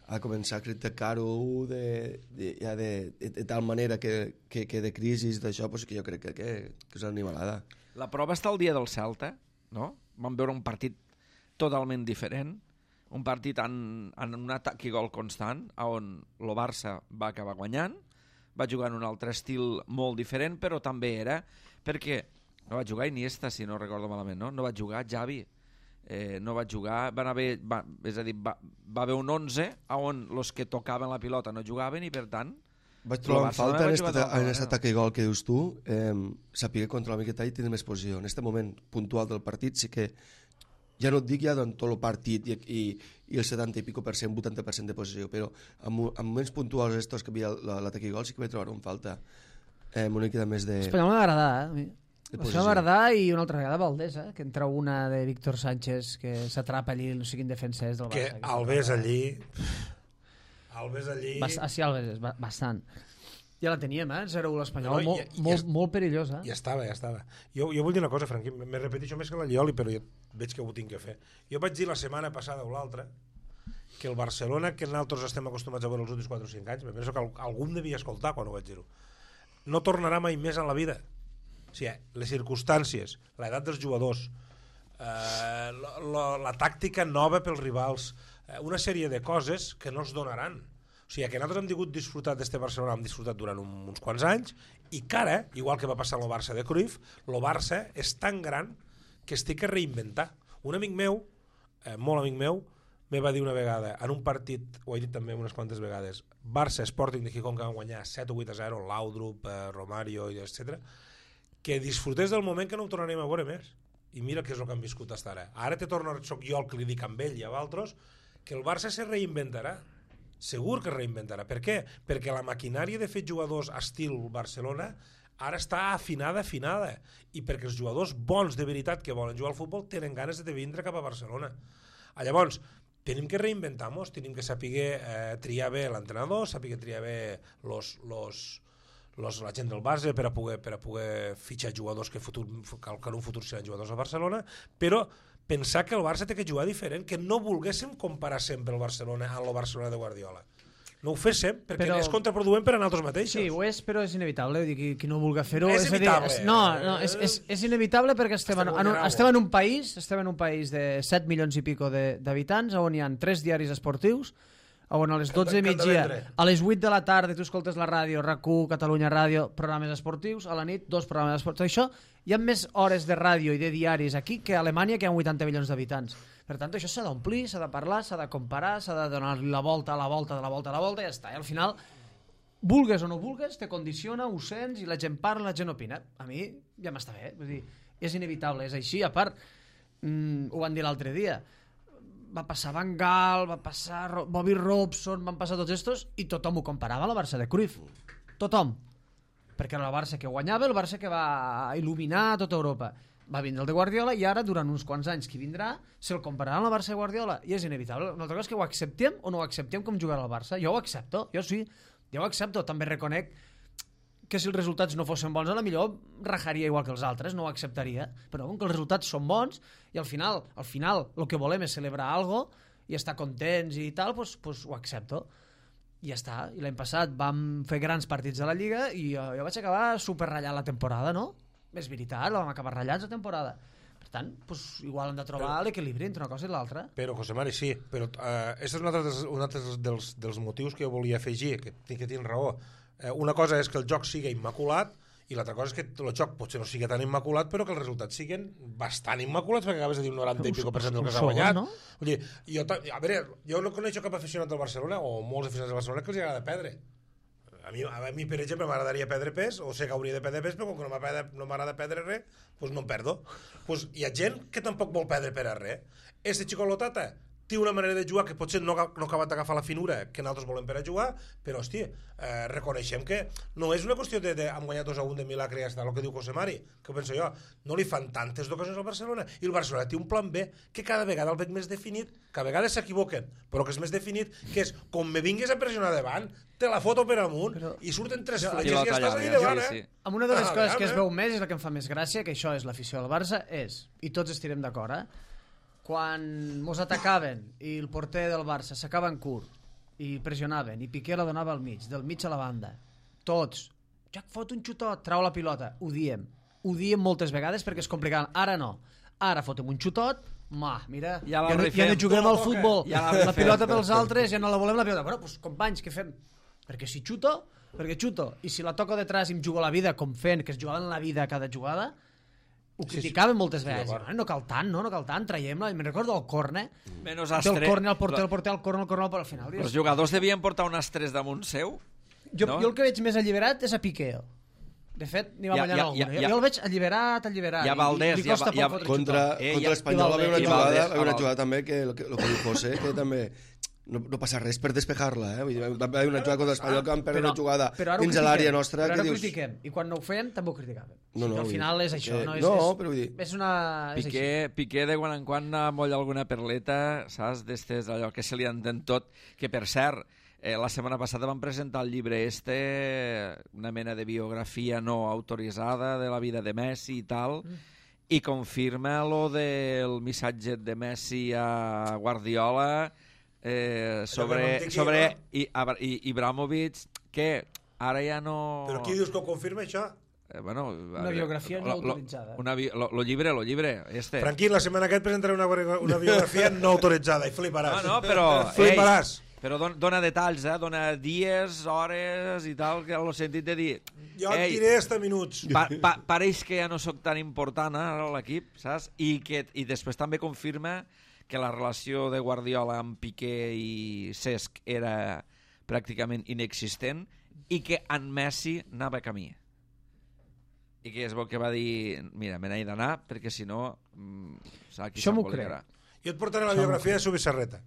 a començar a criticar-ho de tal manera que de crisi d'això, pues que jo crec que és una animalada. La prova està el dia del Celta, no? Vam veure un partit totalment diferent, un partit en un atac i gol constant, on el Barça va acabar guanyant, va jugar en un altre estil molt diferent, però també era perquè no va jugar Iniesta, si no recordo malament, no va jugar Xavi, no va jugar, és a dir, va haver un 11 on els que tocaven la pilota no jugaven i per tant Vaig trobar en falta en aquest atac i gol que dius tu, saber controlar una miqueta i tenir més posició. En aquest moment puntual del partit sí que, ja no et dic ja en tot el partit i el 70 i pico per cent, 80% de posició, però en moments puntuals estos que havia l'atac i gol sí que vaig trobar en falta una miqueta més de... Espanyol m'ha agradat, Això m'ha agradat i una altra vegada Valdés, que entra una de Víctor Sánchez que s'atrapa allí, no sé quin defensa és del Barça. Que Alves allí... Sí, Alves, bastant. Ja la teníem, 0-1 l'Espanyol, molt perillós. Ja estava. Jo vull dir una cosa, Franqui, me repeteixo més que la Llioli, però jo veig que ho tinc que fer. Jo vaig dir la setmana passada o l'altra que el Barcelona, que nosaltres estem acostumats a veure els últims 4 o 5 anys, me penso que algú em devia escoltar quan ho vaig dir-ho, no tornarà mai més en la vida. O sigui, les circumstàncies, l'edat dels jugadors, la tàctica nova pels rivals, una sèrie de coses que no es donaran. O sigui, que nosaltres hem tingut disfrutat d'este Barcelona, hem disfrutat durant uns quants anys, i que ara, igual que va passar amb el Barça de Cruyff, el Barça és tan gran que es té que reinventar. Un amic meu, molt amic meu, me va dir una vegada, en un partit, ho he dit també unes quantes vegades, Barça Sporting de Gijón, que van guanyar 7 o 8-0, Laudrup, Romario, etc., que disfrutés del moment que no ho tornarem a veure més. I mira què és el que han viscut fins ara. Ara soc jo el que li dic amb ell i a altres, que el Barça se reinventarà. Segur que es reinventarà. Per què? Perquè la maquinària de fer jugadors estil Barcelona ara està afinada, i perquè els jugadors bons de veritat que volen jugar al futbol tenen ganes de vindre cap a Barcelona. Llavors, tenim que reinventar-nos, tenim que saber triar bé l'entrenador, saber triar bé la gent del base per a poder fitxar jugadors que en un futur seran jugadors a Barcelona, però pensar que el Barça té que jugar diferent, que no volguéssim comparar sempre el Barcelona amb el Barcelona de Guardiola. No ho féssim, perquè és contraproduent per a nosaltres mateixos. Sí, ho és, però és inevitable. Vull dir, qui no vulgui fer-ho... És inevitable. És inevitable perquè estem en un país de 7 milions i pico d'habitants, on hi ha 3 diaris esportius, on a les 12 de migdia, a les 8 de la tarda tu escoltes la ràdio, RAC1, Catalunya Ràdio, programes esportius, a la nit 2 programes esportius. Això hi ha més hores de ràdio i de diaris aquí que a Alemanya, que hi ha 80 milions d'habitants. Per tant, això s'ha d'omplir, s'ha de parlar, s'ha de comparar, s'ha de donar-li la volta, i ja està. I al final, vulgues o no vulgues, te condiciona, ho sents, i la gent parla, la gent opina. A mi ja m'està bé. Vull dir, és inevitable, és així. A part, ho van dir l'altre dia, va passar Van Gaal, va passar Bobby Robson, van passar tots estos, i tothom ho comparava a la Barça de Cruyff. Tothom. Perquè era el Barça que guanyava, el Barça que va il·luminar tota Europa. Va vindre el de Guardiola i ara, durant uns quants anys que vindrà, se'l compararà amb el Barça de Guardiola. I és inevitable. Una altra cosa és que ho acceptem o no ho acceptem com jugarà el Barça. Jo ho accepto, jo sí. Jo ho accepto. També reconec que si els resultats no fossin bons, a la millor rajaria igual que els altres, no ho acceptaria. Però com que els resultats són bons i al final el que volem és celebrar alguna cosa i estar contents i tal, doncs ho accepto. I ja està. I l'any passat vam fer grans partits de la Lliga i jo vaig acabar superratllant la temporada, no? És veritat, la vam acabar ratllats la temporada. Per tant, igual hem de trobar l'equilibri entre una cosa i l'altra. Però, José Mari, sí, però aquest és un altre dels motius que jo volia afegir, que tinc raó. Una cosa és que el joc sigui immaculat i l'altra cosa és que el joc potser no sigui tan immaculat, però que els resultats siguin bastant immaculats, perquè acabes de dir un 90 i pico % del que s'ha guanyat. No? Vull dir, jo no coneixo cap aficionat del Barcelona, o molts aficionats del Barcelona, que els agrada perdre. A mi, per exemple, m'agradaria perdre pes, o sé que hauria de perdre pes, però com que no m'agrada perdre res, doncs no em perdo. Hi ha gent que tampoc vol perdre per a res. Este Chico-Lotata té una manera de jugar que potser no ha acabat d'agafar la finura que nosaltres volem per a jugar, però, hòstia, reconeixem que no és una qüestió de hem guanyat 2-1 de milagre i ja està, el que diu José Mari, que penso jo, no li fan tantes ocasions al Barcelona, i el Barcelona té un plan B que cada vegada el veig més definit, que a vegades s'equivoquen, però que és més definit, que és, com me vingues a pressionar davant, te la foto per amunt, i surten 3 fletxes i ja estàs allà davant, sí. Amb una de les coses que es veu més, és la que em fa més gràcia, que això és l'afició del Barça, i tots estirem d'acord, quan mos atacaven i el porter del Barça s'acaba en curt i pressionaven i Piqué la donava al mig, del mig a la banda, tots, ja fot un xutot, trau la pilota, ho diem moltes vegades perquè és complicat. Ara no, ara fotem un xutot, mira, ja no juguem al futbol, la pilota pels altres, ja no la volem la pilota. Bueno, doncs companys, què fem? Perquè si xuto, i si la toco detrás i em jugo la vida com fent, que es jugaven la vida a cada jugada, ho criticaven moltes vegades. No cal tant, traiem-la. Me'n recordo del córner. Menos astre. Del córner al porter, al córner, al final. Els jugadors devien portar un astres damunt seu? Jo el que veig més alliberat és a Piqué. De fet, n'hi va ballant alguna. Jo el veig alliberat. I a Valdés. Contra l'Espanyol va haver una jugada també que el que diu José, que també no passa res per despejar-la, va haver una jugada contra l'Espanyol que van perdre una jugada dins l'àrea nostra. Però ara ho critiquem, i quan no ho fem també ho criticàvem. Al final és això. No, però vull dir... Piqué de quan en quan molla alguna perleta, saps? D'estes, allò que se li entén tot, que per cert, la setmana passada van presentar el llibre una mena de biografia no autoritzada de la vida de Messi i tal, i confirma lo del missatge de Messi a Guardiola sobre Ibrahimovic, que ara ja no... Però qui dius que ho confirma, això? Una biografia no autoritzada. Lo llibre, este. Tranquil, la setmana que et presentaré una biografia no autoritzada i fliparàs. No, però... Fliparàs. Però dona detalls, dona dies, hores i tal, que en el sentit de dir... Jo et diré hasta minuts. Pareix que ja no sóc tan important ara a l'equip, saps? I després també confirma que la relació de Guardiola amb Piqué i Cesc era pràcticament inexistent i que en Messi anava camí. I que és bo que va dir, mira, me n'he d'anar perquè si no aquí s'embolicarà. Jo et portaré la biografia de Subi Serreta,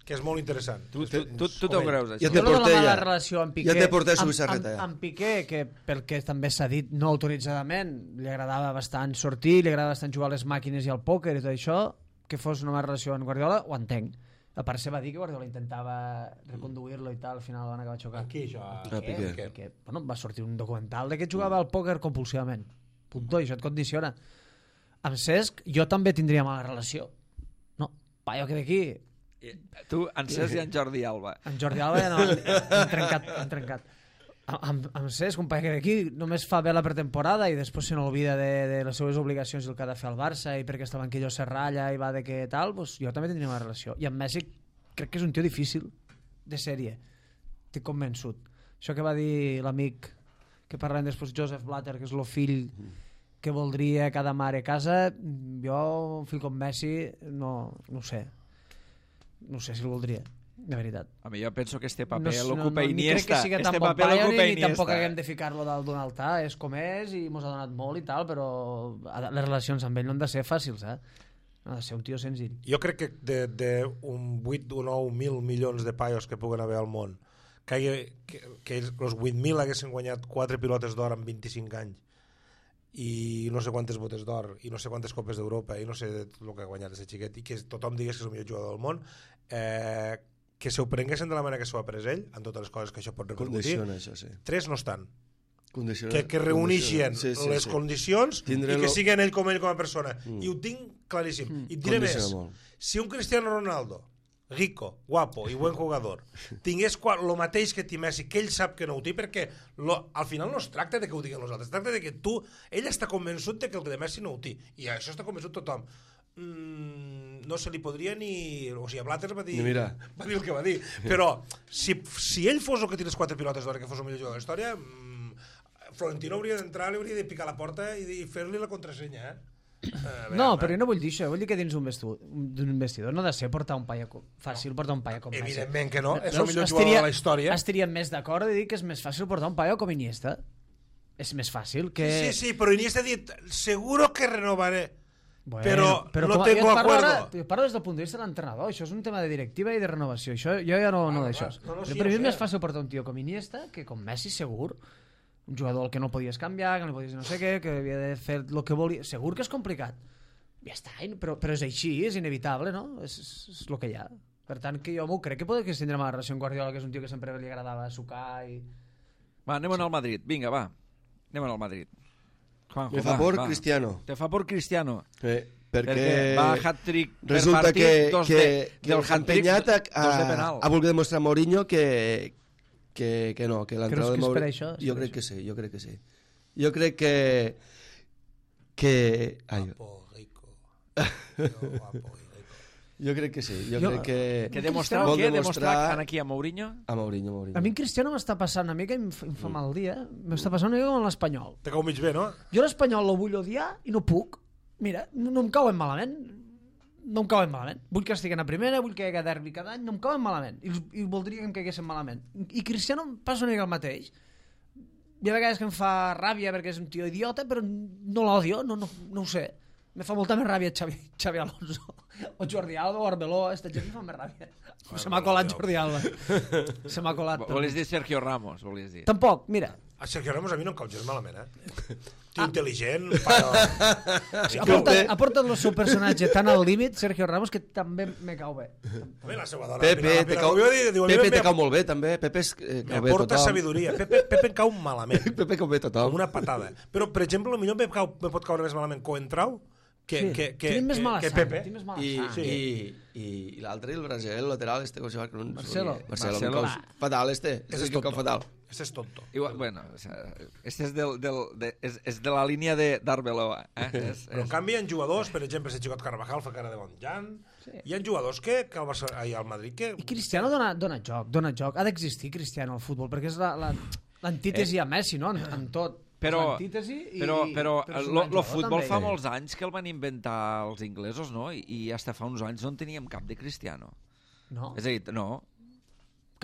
que és molt interessant. Tu t'ho creus, això? Jo no la mala relació amb Piqué, ja t'he portat Subi Serreta, ja. Amb Piqué, que pel que també s'ha dit no autoritzadament, li agradava bastant sortir, li agradava bastant jugar a les màquines i al pòquer i tot això, que fos una mala relació amb Guardiola, ho entenc. A part se va dir que Guardiola intentava reconduir-lo i tal, al final van acabar xocant. Aquí, això. Piqué. Bueno, va sortir un documental de que jugava al pòquer compulsivament. Puntó, i això et condiciona. Amb Cesc, jo també tindria mala relació. No, paio que d'aquí... Tu, en Cesc i en Jordi Alba. En Jordi Alba ja no, han trencat. Amb Cesc, un paio que d'aquí només fa bé la pretemporada i després se n'olvida de les seves obligacions i el que ha de fer al Barça i perquè estava en aquella serralla i va de que tal, doncs jo també tindria una relació. I amb Messi crec que és un tio difícil de sèrie. Estic convençut. Això que va dir l'amic que parlem després, Joseph Blatter, que és el fill que voldria cada mare a casa, jo, un fill com Messi, no ho sé. No sé si el voldria, de veritat. A mi jo penso que este paper l'ocupa Iniesta. Ni crec que sigui tan bon paio ni tampoc haguem de ficar-lo dalt d'un altar. És com és i mos ha donat molt i tal, però les relacions amb ell no han de ser fàcils, no ha de ser un tio senzill. Jo crec que d'un 8 o 9.000 milions de paios que puguen haver al món, que els 8.000 haguessin guanyat 4 pilotes d'or en 25 anys i no sé quantes botes d'or i no sé quantes copes d'Europa i no sé el que ha guanyat aquest xiquet i que tothom digués que és el millor jugador del món, que s'ho prenguessin de la manera que s'ho ha pres ell, en totes les coses que això pot repercutir. Això, sí. 3 no estan. Que les reuneixen condicions i que siguin ell com a persona. I ho tinc claríssim. I et diré més, si un Cristiano Ronaldo, rico, guapo i buen jugador, tingués el mateix que té Messi, que ell sap que no ho té, perquè al final no es tracta de que ho diguin els altres, es tracta de que ell està convençut de que el de Messi no ho té, i això està convençut tothom. No se li podria ni... O sigui, Blatter va dir el que va dir, però si ell fos el que té les 4 pilotes d'or, que fos el millor jugador de la història, Florentino hauria d'entrar, li hauria de picar la porta i fer-li la contrasenya, No, però jo no vull dir això, vull dir que dins d'un vestidor no ha de ser portar un paio fàcil, portar un paio com Messi. Evidentment que no, és el millor jugador de la història. Estaríem més d'acord de dir que és més fàcil portar un paio com Iniesta. És més fàcil que... Sí, però Iniesta ha dit, seguro que renovaré, però no tengo acuerdo. Jo parlo des del punt de vista de l'entrenador, això és un tema de directiva i de renovació, això jo ja no d'això. Per mi és més fàcil portar un tio com Iniesta que com Messi, segur. Un jugador que no podies canviar, que no podies no sé què, que havia de fer el que volia. Segur que és complicat. Ja està, però és així, és inevitable, no? És el que hi ha. Per tant, que jo m'ho crec que podria tindre una relació amb Guardiola, que és un tio que sempre li agradava sucar i... Va, anem al Madrid. Vinga, va. Anem al Madrid. Juanjo, Me fa por Cristiano. Te fa por Cristiano. Perquè va hat-trick per resulta partit, que el empenyat ha volgut demostrar a Mourinho que no, que l'entrada de Mourinho... Jo crec que sí. Jo crec que... Guapo, rico. Jo crec que sí. Que demostrar aquí a Mourinho? A Mourinho. A mi en Cristiano m'està passant una mica, em fa mal dia, m'està passant una mica com l'Espanyol. Te cau mig bé, no? Jo l'Espanyol lo vull odiar i no puc. Mira, no em cauen malament. Vull que estiguen a primera, vull que hi hagi derbi cada any, no em cauen malament. I voldria que em caiguessin malament. I Cristiano em passa una mica el mateix. Hi ha vegades que em fa ràbia perquè és un tio idiota, però no l'odio, no ho sé. Me fa molta més ràbia Xavi Alonso o Jordi Alba o Arbeloa, aquesta gent em fa més ràbia. Se m'ha colat Jordi Alba. Se m'ha colat. Volies dir Sergio Ramos, volies dir. Tampoc, mira. A Sergio Ramos a mi no em cau gens malament, Tio intel·ligent, ha portat el seu personatge tan al límit, Sergio Ramos, que també me cau bé. La seva dona. Pepe te cau molt bé, també. Pepe me porta sabidoria. Pepe em cau malament. Pepe cau bé tothom. Com una patada. Però, per exemple, potser me pot caure més malament Coentrau que Pepe. I l'altre, el Brasil, el lateral, com se va... Marcelo. Fatal, és que cau fatal. Este és tonto. Igual, bueno, o sea, este és és de la línia d'Arbeloa. Però en canvi hi ha jugadors, per exemple, si Xicot Carvajal fa cara de bon Jan, hi ha jugadors que al Madrid que... I Cristiano dona joc. Ha d'existir Cristiano al futbol, perquè és l'antítesi a Messi, no? En tot. Però el futbol també. fa molts anys que el van inventar els inglesos, no? I hasta fa uns anys no en teníem cap de Cristiano. No? És a dir, no.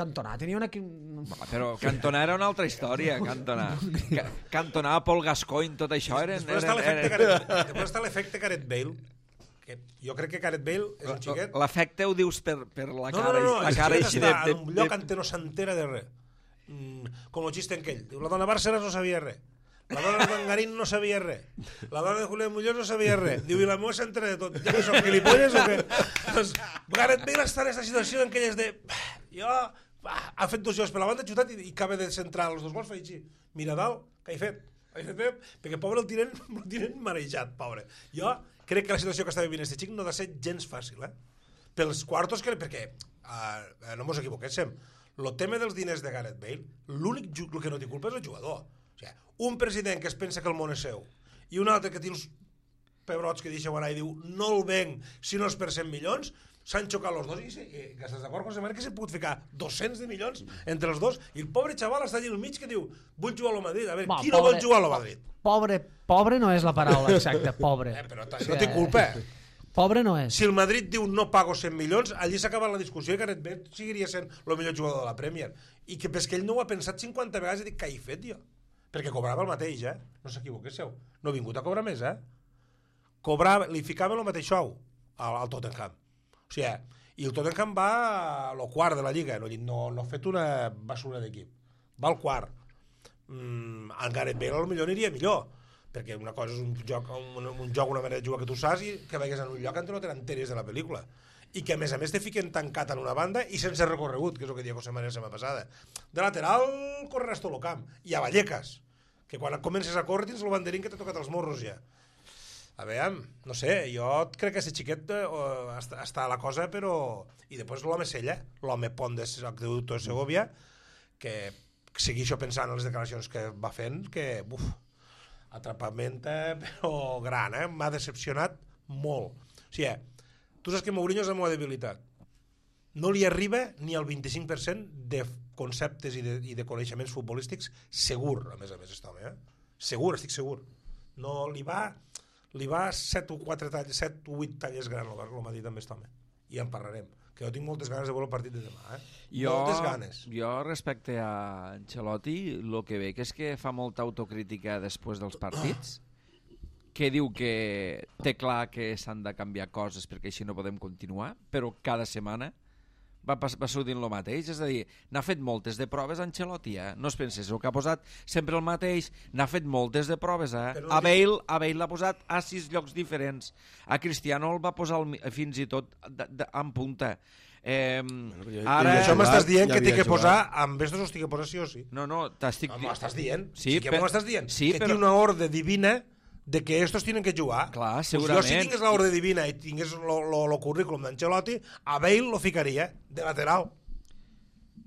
Cantona tenia una... Però Cantona era una altra història, Cantona. Cantona, Paul Gascoigne, tot això eren... Després està l'efecte Gareth Bale, que jo crec que Gareth Bale és un xiquet... L'efecte ho dius per la cara. No, la cara així de... En un lloc on no s'entera de res. Com el xiste en aquell. Diu, la dona Bárcenas no sabia res. La dona de Mangarín no sabia res. La dona de Julián Muñoz no sabia res. Diu, i la meva s'entera de tot. Ja que som gilipolles o què? Doncs Gareth Bale està en aquesta situació en què és de... Jo... Ha fet 2 jocs per la banda, xutat i acaba de centrar els 2 gols, fa així. Mira dalt, què he fet? Perquè pobre el tiren marejat, pobre. Jo crec que la situació que està vivint este xic no ha de ser gens fàcil, pels quartos, perquè no mos equivoquéssim, el tema dels diners de Gareth Bale, l'únic que no té culpa és el jugador. O sigui, un president que es pensa que el món és seu i un altre que té uns pebrots que deixeu anar i diu no el venc si no és per 100 milions, s'han xocat els dos i que estàs d'acord, José María, que s'ha pogut ficar 200 de milions entre els dos i el pobre xaval està allà al mig que diu vull jugar al Madrid, a veure, qui no vol jugar al Madrid? Pobre no és la paraula exacta, pobre. Però no té culpa. Pobre no és. Si el Madrid diu no pago 100 milions, allí s'ha acabat la discussió i Gareth Bale seguiria sent el millor jugador de la Premier. I que és que ell no ho ha pensat 50 vegades i dic, què he fet jo? Perquè cobrava el mateix, no s'equivoquéssiu. No ha vingut a cobrar més, li ficava el mateix xou al Tottenham. O sigui, i el Tottenham va al quart de la Lliga, no ha fet una basura d'equip. Va al quart. En Gareth Bale potser aniria millor, perquè una cosa és un joc, una manera de jugar que tu saps i que vagis en un lloc on no tenen teres de la pel·lícula. I que a més te fiquen tancat en una banda i sense recorregut, que és el que deia José María la setmana passada. De lateral correràs tot el camp. I a Vallecas, que quan comences a córrer tens el banderín que t'ha tocat els morros ja. A veure, no sé, jo crec que aquest xiquet està a la cosa, però... I després l'home Sella, l'home pont de Segovia, que segueixo pensant en les declaracions que va fent, que, atrapament, però gran, m'ha decepcionat molt. O sigui, tu saps que Mourinho és la meva debilitat. No li arriba ni al 25% de conceptes i de coneixements futbolístics segur, a més, aquest home, Segur, estic segur. No, li va 7 o 8 talles gran el m'ha dit amb aquest home. I en parlarem. Que jo tinc moltes ganes de veure el partit de demà. Moltes ganes. Jo, respecte a Ancelotti, el que veig és que fa molta autocrítica després dels partits, que diu que té clar que s'han de canviar coses perquè així no podem continuar, però cada setmana va sortint el mateix, és a dir, n'ha fet moltes de proves Ancelotti, no es penses, el que ha posat sempre el mateix, n'ha fet moltes de proves, a Bale l'ha posat a 6 llocs diferents, a Cristiano el va posar fins i tot en punta. Ara... Això m'estàs dient que t'he que posar, amb estos els t'he que posar sí o sí. No, t'estic... M'estàs dient, sí que m'estàs dient, que té una ordre divina de que estos tienen que jugar. Clar, segurament. Jo si tingués l'ordre divina i tingués el currículum d'Ancelotti, a Bale lo ficaria de lateral.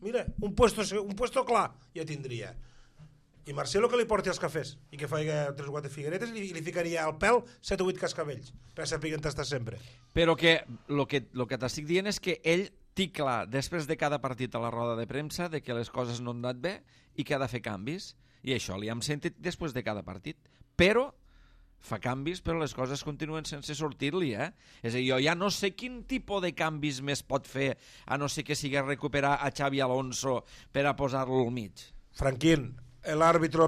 Mira, un puesto clar ja tindria. I Marcelo que li porti els cafès i que faci 3 o 4 figueretes i li ficaria al pèl 7 o 8 cascavells per saber on està sempre. Però que el que t'estic dient és que ell té clar, després de cada partit a la roda de premsa, de que les coses no han anat bé i que ha de fer canvis. I això li hem sentit després de cada partit. Però fa canvis, però les coses continuen sense sortir-li, És a dir, jo ja no sé quin tipus de canvis més pot fer, a no ser que sigui recuperar a Xavi Alonso per a posar-lo al mig. Franquín, el árbitro no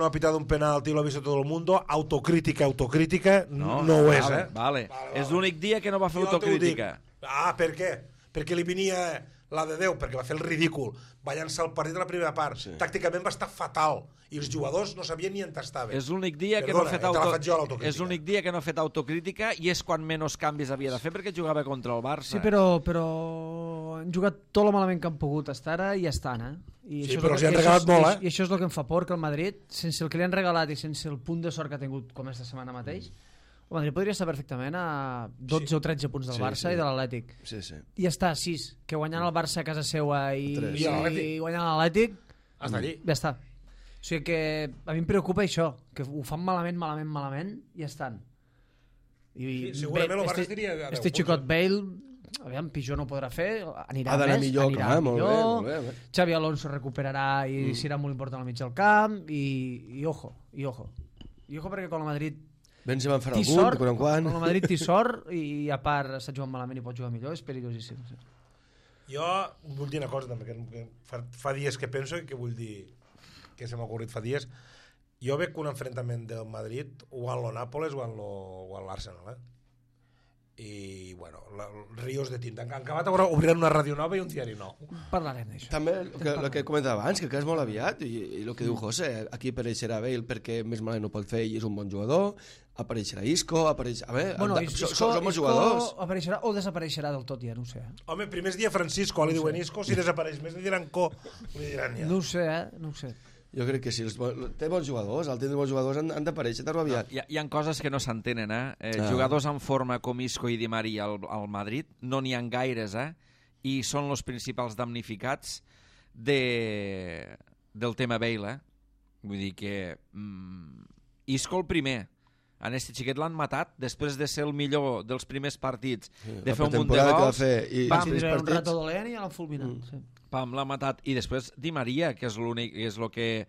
ha pitado un penalti, lo ha visto todo el mundo, autocrítica, no ho és, Vale. És l'únic dia que no va fer autocrítica. Per què? Perquè li venia la de Déu, perquè va fer el ridícul, va llançar el partit a la primera part, tàcticament va estar fatal, i els jugadors no sabien ni on estaven. És l'únic dia que no ha fet autocrítica i és quan menys canvis havia de fer perquè jugava contra el Barça. Sí, però han jugat tot el malament que han pogut estar ara i estan, I sí, però els han regalat molt, I això és el que em fa por, que el Madrid, sense el que li han regalat i sense el punt de sort que ha tingut com esta setmana mateix, el Madrid podria estar perfectament a 12 o 13 punts del Barça i de l'Atlètic. Sí. I està a 6, que guanyant el Barça a casa seua i guanyant l'Atlètic Hasta allí. Ja està. O sigui que a mi em preocupa això, que ho fan malament, i ja estan. Sí, segurament el Barça estaria a 10 este punts, xicot Bale, aviam, pitjor no podrà fer, anirà Ha d'anar més, millor, anirà clar, millor. molt bé. Xavi Alonso recuperarà i serà molt important al mig del camp, i ojo. I ojo perquè quan el Madrid Benzema en farà té algun, sort, de quan en quan. quan el Madrid té sort i a part està jugant malament i pot jugar millor, és perillosíssim. Sí. Jo vull dir una cosa també, que fa dies que penso i que vull dir que se m'ha ocorrit fa dies. Jo veig un enfrontament del Madrid o en lo Nàpoles o en l'Arsenal, i bueno, rios de tinta. En acabat obriran una ràdio nova i un diari nou. Parlarem d'això. També el que comentava abans, que és molt aviat, i el que diu José, aquí apareixerà Bale perquè més malament no pot fer i és un bon jugador, apareixerà Isco, són molts jugadors. Apareixerà o desapareixerà del tot, ja no ho sé. Home, primer es dia Francisco, li diuen Isco, si desapareix més li diran Co, li diran ja. No ho sé, no ho sé. Jo crec que si té bons jugadors, al tenir bons jugadors han d'aparèixer tan aviat. Hi ha coses que no s'entenen, Jugadors en forma com Isco i Di Maria al Madrid no n'hi ha gaires, i són els principals damnificats del tema Bale, Vull dir que Isco el primer. En este xiquet l'han matat després de ser el millor dels primers partits, de fer un munt de gols. Va tindre un rato dolent i ja l'han fulminat. Pam, l'ha matat. I després Di Maria, que és l'únic, és el que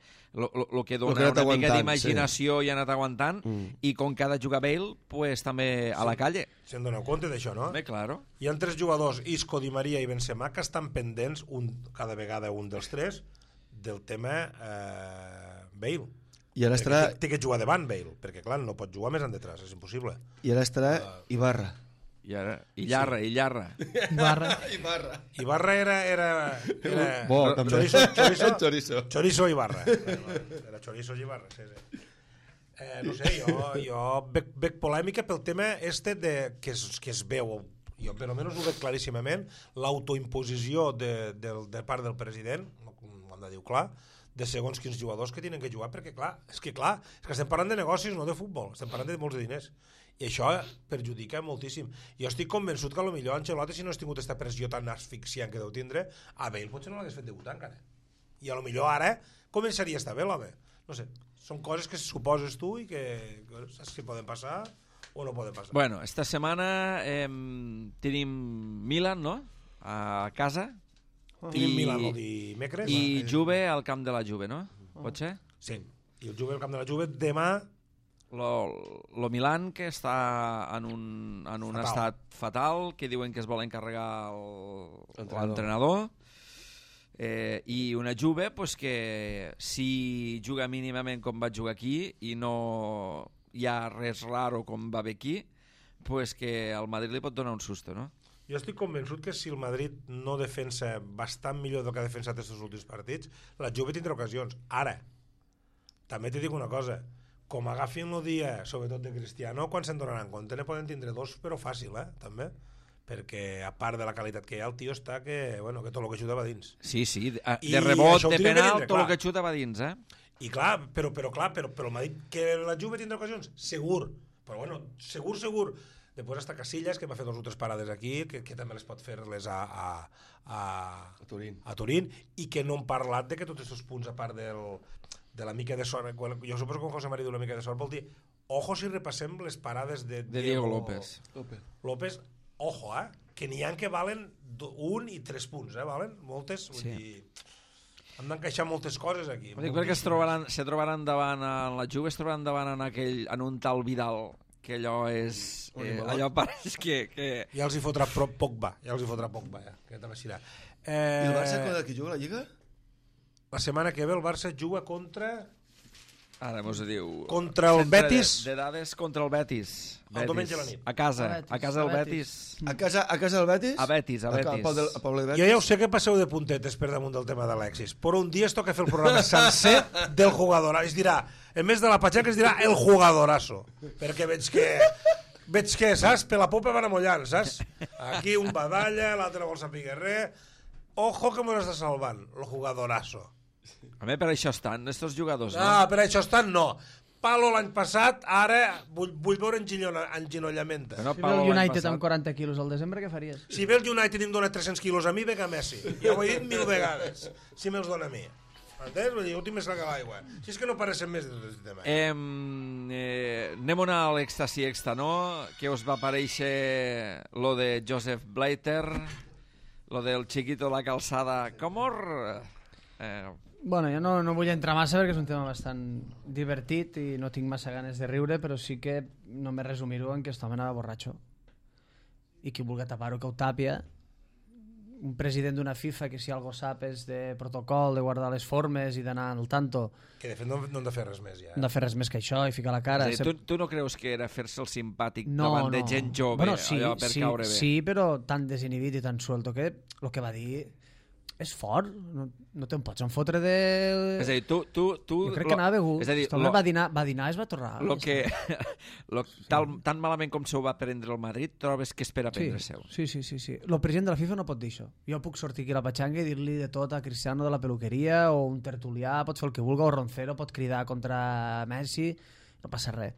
dona una mica d'imaginació i ha anat aguantant, i com que ha de jugar Bale, pues també a la calle. Se'n doneu compte d'això, no? Bé, claro. Hi ha 3 jugadors, Isco, Di Maria i Benzema, que estan pendents, cada vegada un dels 3, del tema Bale. I ara estarà... Té que jugar davant Bale, perquè clar, no pot jugar més endetrás, és impossible. I ara estarà Ibarra. Illarra. Ibarra era Bo, també. Chorizo Ibarra. Era Chorizo Ibarra, sí. No sé, jo veig polèmica pel tema que es veu, jo per almenys ho veig claríssimament, l'autoimposició de part del president, ho hem de dir clar, de segons quins jugadors que tenen que jugar, perquè és que estem parlant de negocis, no de futbol, estem parlant de molts de diners. I això perjudica moltíssim. Jo estic convençut que potser Ancelotti, si no hagués tingut aquesta pressió tan asfixiant que deu tindre, a Bale potser no l'hagués fet debutar encara. I potser ara començaria a estar bé l'home. No sé, són coses que suposes tu i que saps si poden passar o no poden passar. Bueno, esta setmana tenim Milan, no?, a casa. Tenim Milan el dimecres. I Juve al camp de la Juve, no? Pot ser? Sí, i el Juve al camp de la Juve demà. Lo Milan, que està en un estat fatal, que diuen que es vol encarregar l'entrenador, i una Juve pues, que si juga mínimament com va jugar aquí i no hi ha res raro com va bé aquí, pues que al Madrid li pot donar un susto, no? Jo estic convençut que si el Madrid no defensa bastant millor del que ha defensat aquests últims partits, la Juve tindrà ocasions. Ara, també t'he dit una cosa, com agafin el dia, sobretot de Cristiano, quan se'n donaran compte, ne poden tindre 2, però fàcil, també. Perquè, a part de la qualitat que hi ha, el tio està que tot el que xuta va dins. Sí, de rebot, de penal, tot el que xuta va dins, I clar, però el Madrid, que la Juve tindrà ocasions, segur. Però bueno, segur. Després està Casillas, que va fer 2 o 3 parades aquí, que també les pot fer-les a Turín, i que no hem parlat de que tots aquests punts, a part de la mica de sort, jo suposo que quan José María diu la mica de sort vol dir, ojo si repassem les parades de Diego López, ojo, que n'hi ha que valen 1 i 3 punts, valen moltes, vull dir, hem d'encaixar moltes coses aquí. Perquè se trobaran davant en la Juve, es trobaran davant en un tal Vidal, que allò és... allò pareix que... Ja els hi fotrà Pogba, que també serà. I el Barça quan que juga a la Lliga? La setmana que ve el Barça juga contra... Ara mos diu... Contra el Betis. De dades contra el Betis. El diumenge a la nit. A casa del Betis. A casa del Betis? A Betis. Jo ja ho sé que passeu de puntetes per damunt del tema d'Alexis, però un dia es toca fer el programa sencer del jugador. Es dirà, en més de la patxaca es dirà el jugadorazo. Perquè veig que, saps? Per la popa van amollant, saps? Aquí un badalla, l'altre vol saber res. Ojo que m'ho està salvant, el jugadorazo. A mi per això estan, estos jugadors, no? Per això estan, no. Palo l'any passat, ara vull veure enginollament. Si ve el United amb 40 quilos al desembre, què faries? Si ve el United i em dona 300 quilos a mi, ve a Messi. Ja ho he dit 1000 vegades, si me'ls dona a mi. Entens? Vull dir, últim més que l'aigua. Si és que no parecen més de tot aquest tema. Anem a l'èxtasi extra, no? Què us va aparèixer lo de Joseph Blatter, lo del Chiquito la calçada Comor? Bueno, jo no vull entrar massa perquè és un tema bastant divertit i no tinc massa ganes de riure, però sí que només resumir-ho en que aquest home anava borratxo. I qui vulgui tapar-ho, que ho tàpia. Un president d'una FIFA que si algo sap és de protocol, de guardar les formes i d'anar al tanto. Que de fet no hem de fer res més ja. No hem de fer res més que això i ficar la cara. És a dir, tu no creus que era fer-se el simpàtic davant de gent jove, bueno, sí, allò per caure bé? Sí, però tan desinhibit i tan suelto que el que va dir és fort, no te'n pots enfotre de... És a dir, tu... Jo crec que anava begut. És a dir, va dinar i es va tornar. Tan malament com se ho va prendre el Madrid, trobes que espera prendre-se-ho. Sí. El president de la FIFA no pot dir això. Jo puc sortir aquí a la patxanga i dir-li de tot a Cristiano de la peluqueria, o un tertulià, pot fer el que vulgui, o Roncero pot cridar contra Messi, no passa res.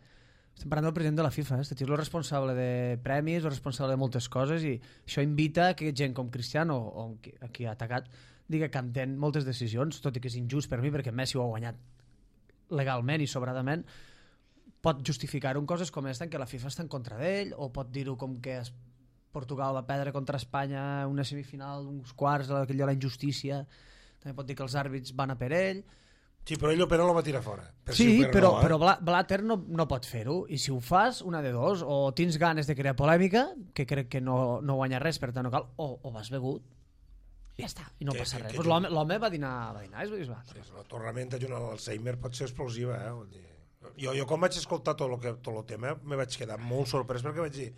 Estem parlant del president de la FIFA, este tio és el responsable de premis, el responsable de moltes coses, i això invita a que gent com Cristiano, o a qui ha atacat, diga que entén moltes decisions, tot i que és injust per mi, perquè Messi ho ha guanyat legalment i sobradament, pot justificar-ho en coses com esta, en què la FIFA està en contra d'ell, o pot dir-ho com que Portugal va perdre contra Espanya una semifinal, uns quarts, aquell de la injustícia, també pot dir que els àrbits van a per ell. Sí, però ell l'opera el va tirar fora. Sí, però Blatter no pot fer-ho, i si ho fas, una de dos, o tens ganes de crear polèmica, que crec que no guanya res, per tant no cal, o vas begut, i ja està, i no passa res. L'home va dinar, es va. La torramenta junt a l'Alzheimer pot ser explosiva, Jo quan vaig escoltar tot el tema me vaig quedar molt sorprès perquè vaig dir,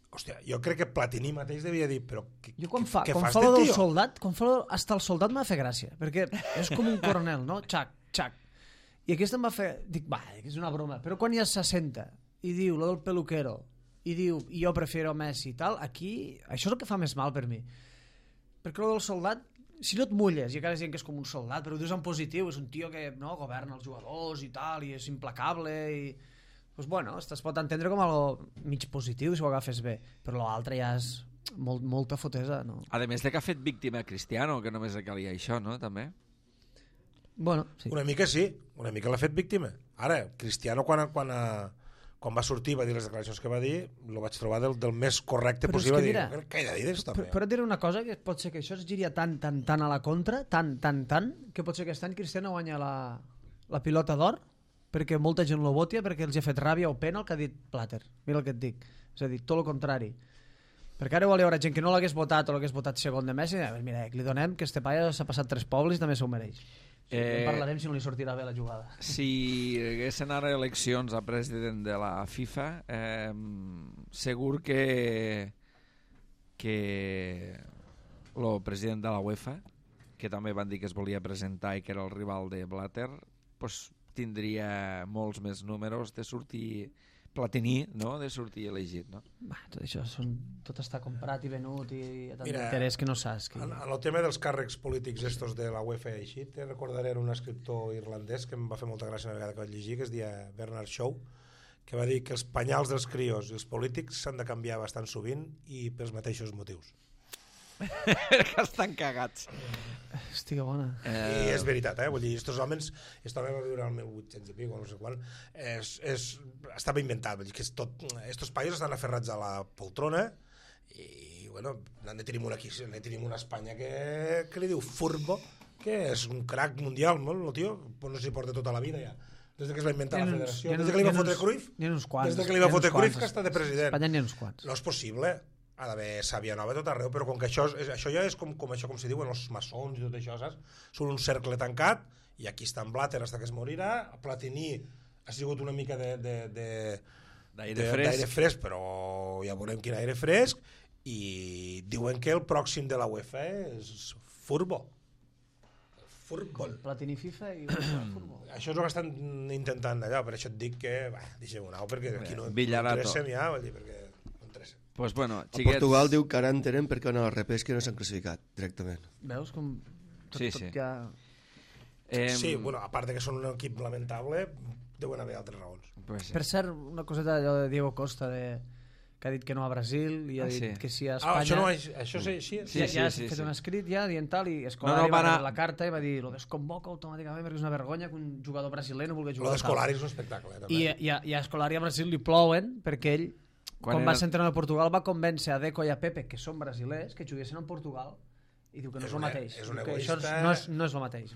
hòstia, jo crec que Platini mateix devia dir, però què fas de tio? Quan fa hasta el soldat m'ha fet gràcia, perquè és com un coronel, no? Xac. I aquest em va fer, dic, és una broma, però quan ja s'assenta i diu lo del peluquero i diu, jo prefiero Messi i tal, aquí, això és el que fa més mal per mi, perquè lo del soldat, si no et mulles i encara dient que és com un soldat, però ho dius en positiu, és un tio que governa els jugadors i tal, i és implacable i... Pues bueno, es pot entendre com algo mig positiu si ho agafes bé, però l'altre ja és molta fotesa, no? A més de que ha fet víctima Cristiano, que només calia això, no? També. Bueno, sí. Una mica sí, una mica l'ha fet víctima. Ara, Cristiano quan va sortir va dir les declaracions que va dir, lo vaig trobar del més correcte però possible. Que però et diré una cosa, que pot ser que això es giria tan a la contra, tan, que pot ser que aquest any Cristiano guanya la pilota d'or, perquè molta gent lo votia, perquè els ha fet ràbia o pena el que ha dit Blatter. Mira el que et dic. És a dir, tot el contrari. Perquè ara hi haurà gent que no l'hagués votat o l'hagués votat segon de Messi, mira, li donem que este paia s'ha passat 3 pobles i també s'ho mereix. En parlarem si no li sortirà bé la jugada. Si haguessin ara eleccions a president de la FIFA, segur que el president de la UEFA, que també van dir que es volia presentar i que era el rival de Blatter, pues, tindria molts més números de sortir Platini, no? De sortir elegit, no? Tot això tot està comprat i venut i tant d'interès que no saps. En el tema dels càrrecs polítics estos de la UEFA i així, te recordaré un escriptor irlandès que em va fer molta gràcia una vegada que vaig llegir, que es deia Bernard Shaw, que va dir que els penyals dels crios i els polítics s'han de canviar bastant sovint i pels mateixos motius. Que estan cagats. Hòstia, bona. I és veritat, vull dir, estos homes, aquest home va viure al 1800 i pico, no sé quan, estava inventat, vull dir que estos països estan aferrats a la poltrona i, bueno, tenim una Espanya que li diu Furbo, que és un crack mundial, no? El tio no s'hi porta tota la vida ja. Des que es va inventar la federació, des que li va fotre Cruyff, des que li va fotre Cruyff que està de president. Espanya n'hi ha uns quants. No és possible. Ha d'haver sàvia nova tot arreu, però com que això ja és com s'hi diuen els maçons i tot això, saps? Són un cercle tancat, i aquí està en Blatter fins que es morirà. Platini ha sigut una mica d'aire fresc, però ja veurem quin aire fresc, i diuen que el pròxim de la UEFA és Furbo. Platini FIFA i Furbo. Això és el que estan intentant allà, per això et dic que deixem-ho anar, perquè aquí no interessem ja, vull dir, perquè pues bueno, xiquets... Portugal diu que ara entenen perquè en el repesca no s'han classificat directament. Veus com tot ja... Sí, bueno, a part que són un equip lamentable, deuen haver altres raons. Per cert, una coseta allò de Diego Costa que que ha dit que no a Brasil i ha dit sí. que sí a Espanya. Això és així? Ja has fet un escrit ja dient tal i Escolari va rebre la carta i va dir lo desconvoca automàticament perquè és una vergonya que un jugador brasiler no vulgui jugar Lo d'Escolari és un espectacle, també. I a Escolari a Brasil li plouen perquè ell, quan va ser entrenador a Portugal, va convèncer a Deco i a Pepe, que són brasilers, que juguessin en Portugal i diu que no és el mateix. És un egoista... Això no és el mateix.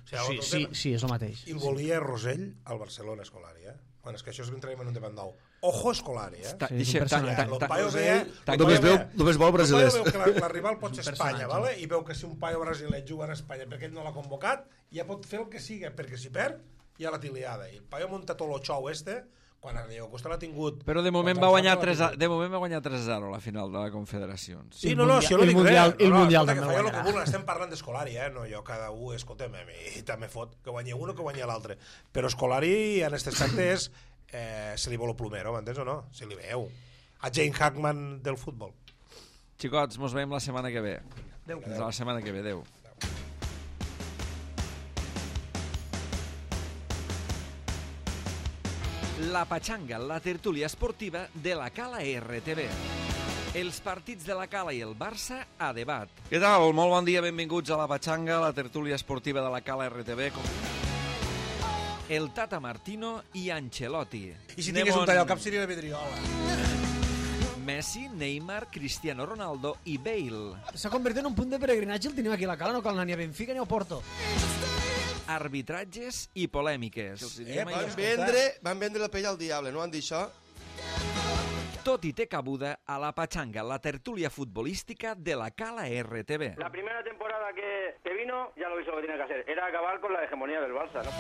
Sí, és el mateix. I el volia Rosell al Barcelona, Escolari, Bueno, és que això és que entrarem en un debat nou. Ojo Escolari, Només vol brasilers. El paio veu que la rival pot ser Espanya, vale? I veu que si un paio brasiler juga en Espanya perquè ell no l'ha convocat, ja pot fer el que sigui, perquè si perd, ja la tiliada. I el paio munta tot el xou quan a Diego Costa l'ha tingut... Però de moment va guanyar 3-0 la final de la Confederacions. Sí, no, si jo no dic res. El Mundial també guanyarà. El que vulgui, estem parlant d'Escolari, no, jo cada un, escolta'm, i també fot que guanyi un o que guanyi l'altre. Però Escolari, en aquest aspecte, se li vol el plomero, m'entens o no? Se li veu. A Jane Hackman del futbol. Xicots, mos veiem la setmana que ve. Adéu. Fins la setmana que ve, adéu. La Pachanga, la tertúlia esportiva de la Cala RTV. Els partits de la Cala i el Barça a debat. Què tal? Molt bon dia, benvinguts a la Pachanga, la tertúlia esportiva de la Cala RTV. El Tata Martino i Ancelotti. I si tingués un tall al cap seria la vidriola. Messi, Neymar, Cristiano Ronaldo i Bale. S'ha convertit en un punt de peregrinatge, el tenim aquí a la Cala, no cal anar ni a Benfica ni a Porto. Arbitratges i polèmiques. Van vendre la pell al diable, no han dit això? Tot i té cabuda a la Pachanga, la tertúlia futbolística de la Cala RTV. La primera temporada que vino ya lo hizo lo que tenía que hacer. Era acabar con la hegemonía del Barça, ¿no?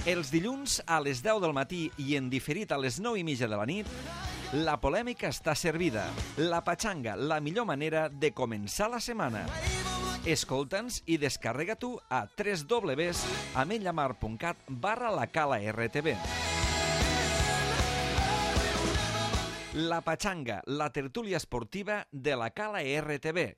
Els dilluns a les 10 del matí i en diferit a les 9:30 de la nit, la polèmica està servida. La Pachanga, la millor manera de començar la setmana. Escolta'ns i descarrega-t'ho a www.ametlllamar.cat/lacala-rtv. La Pachanga, la tertúlia esportiva de la Cala RTV.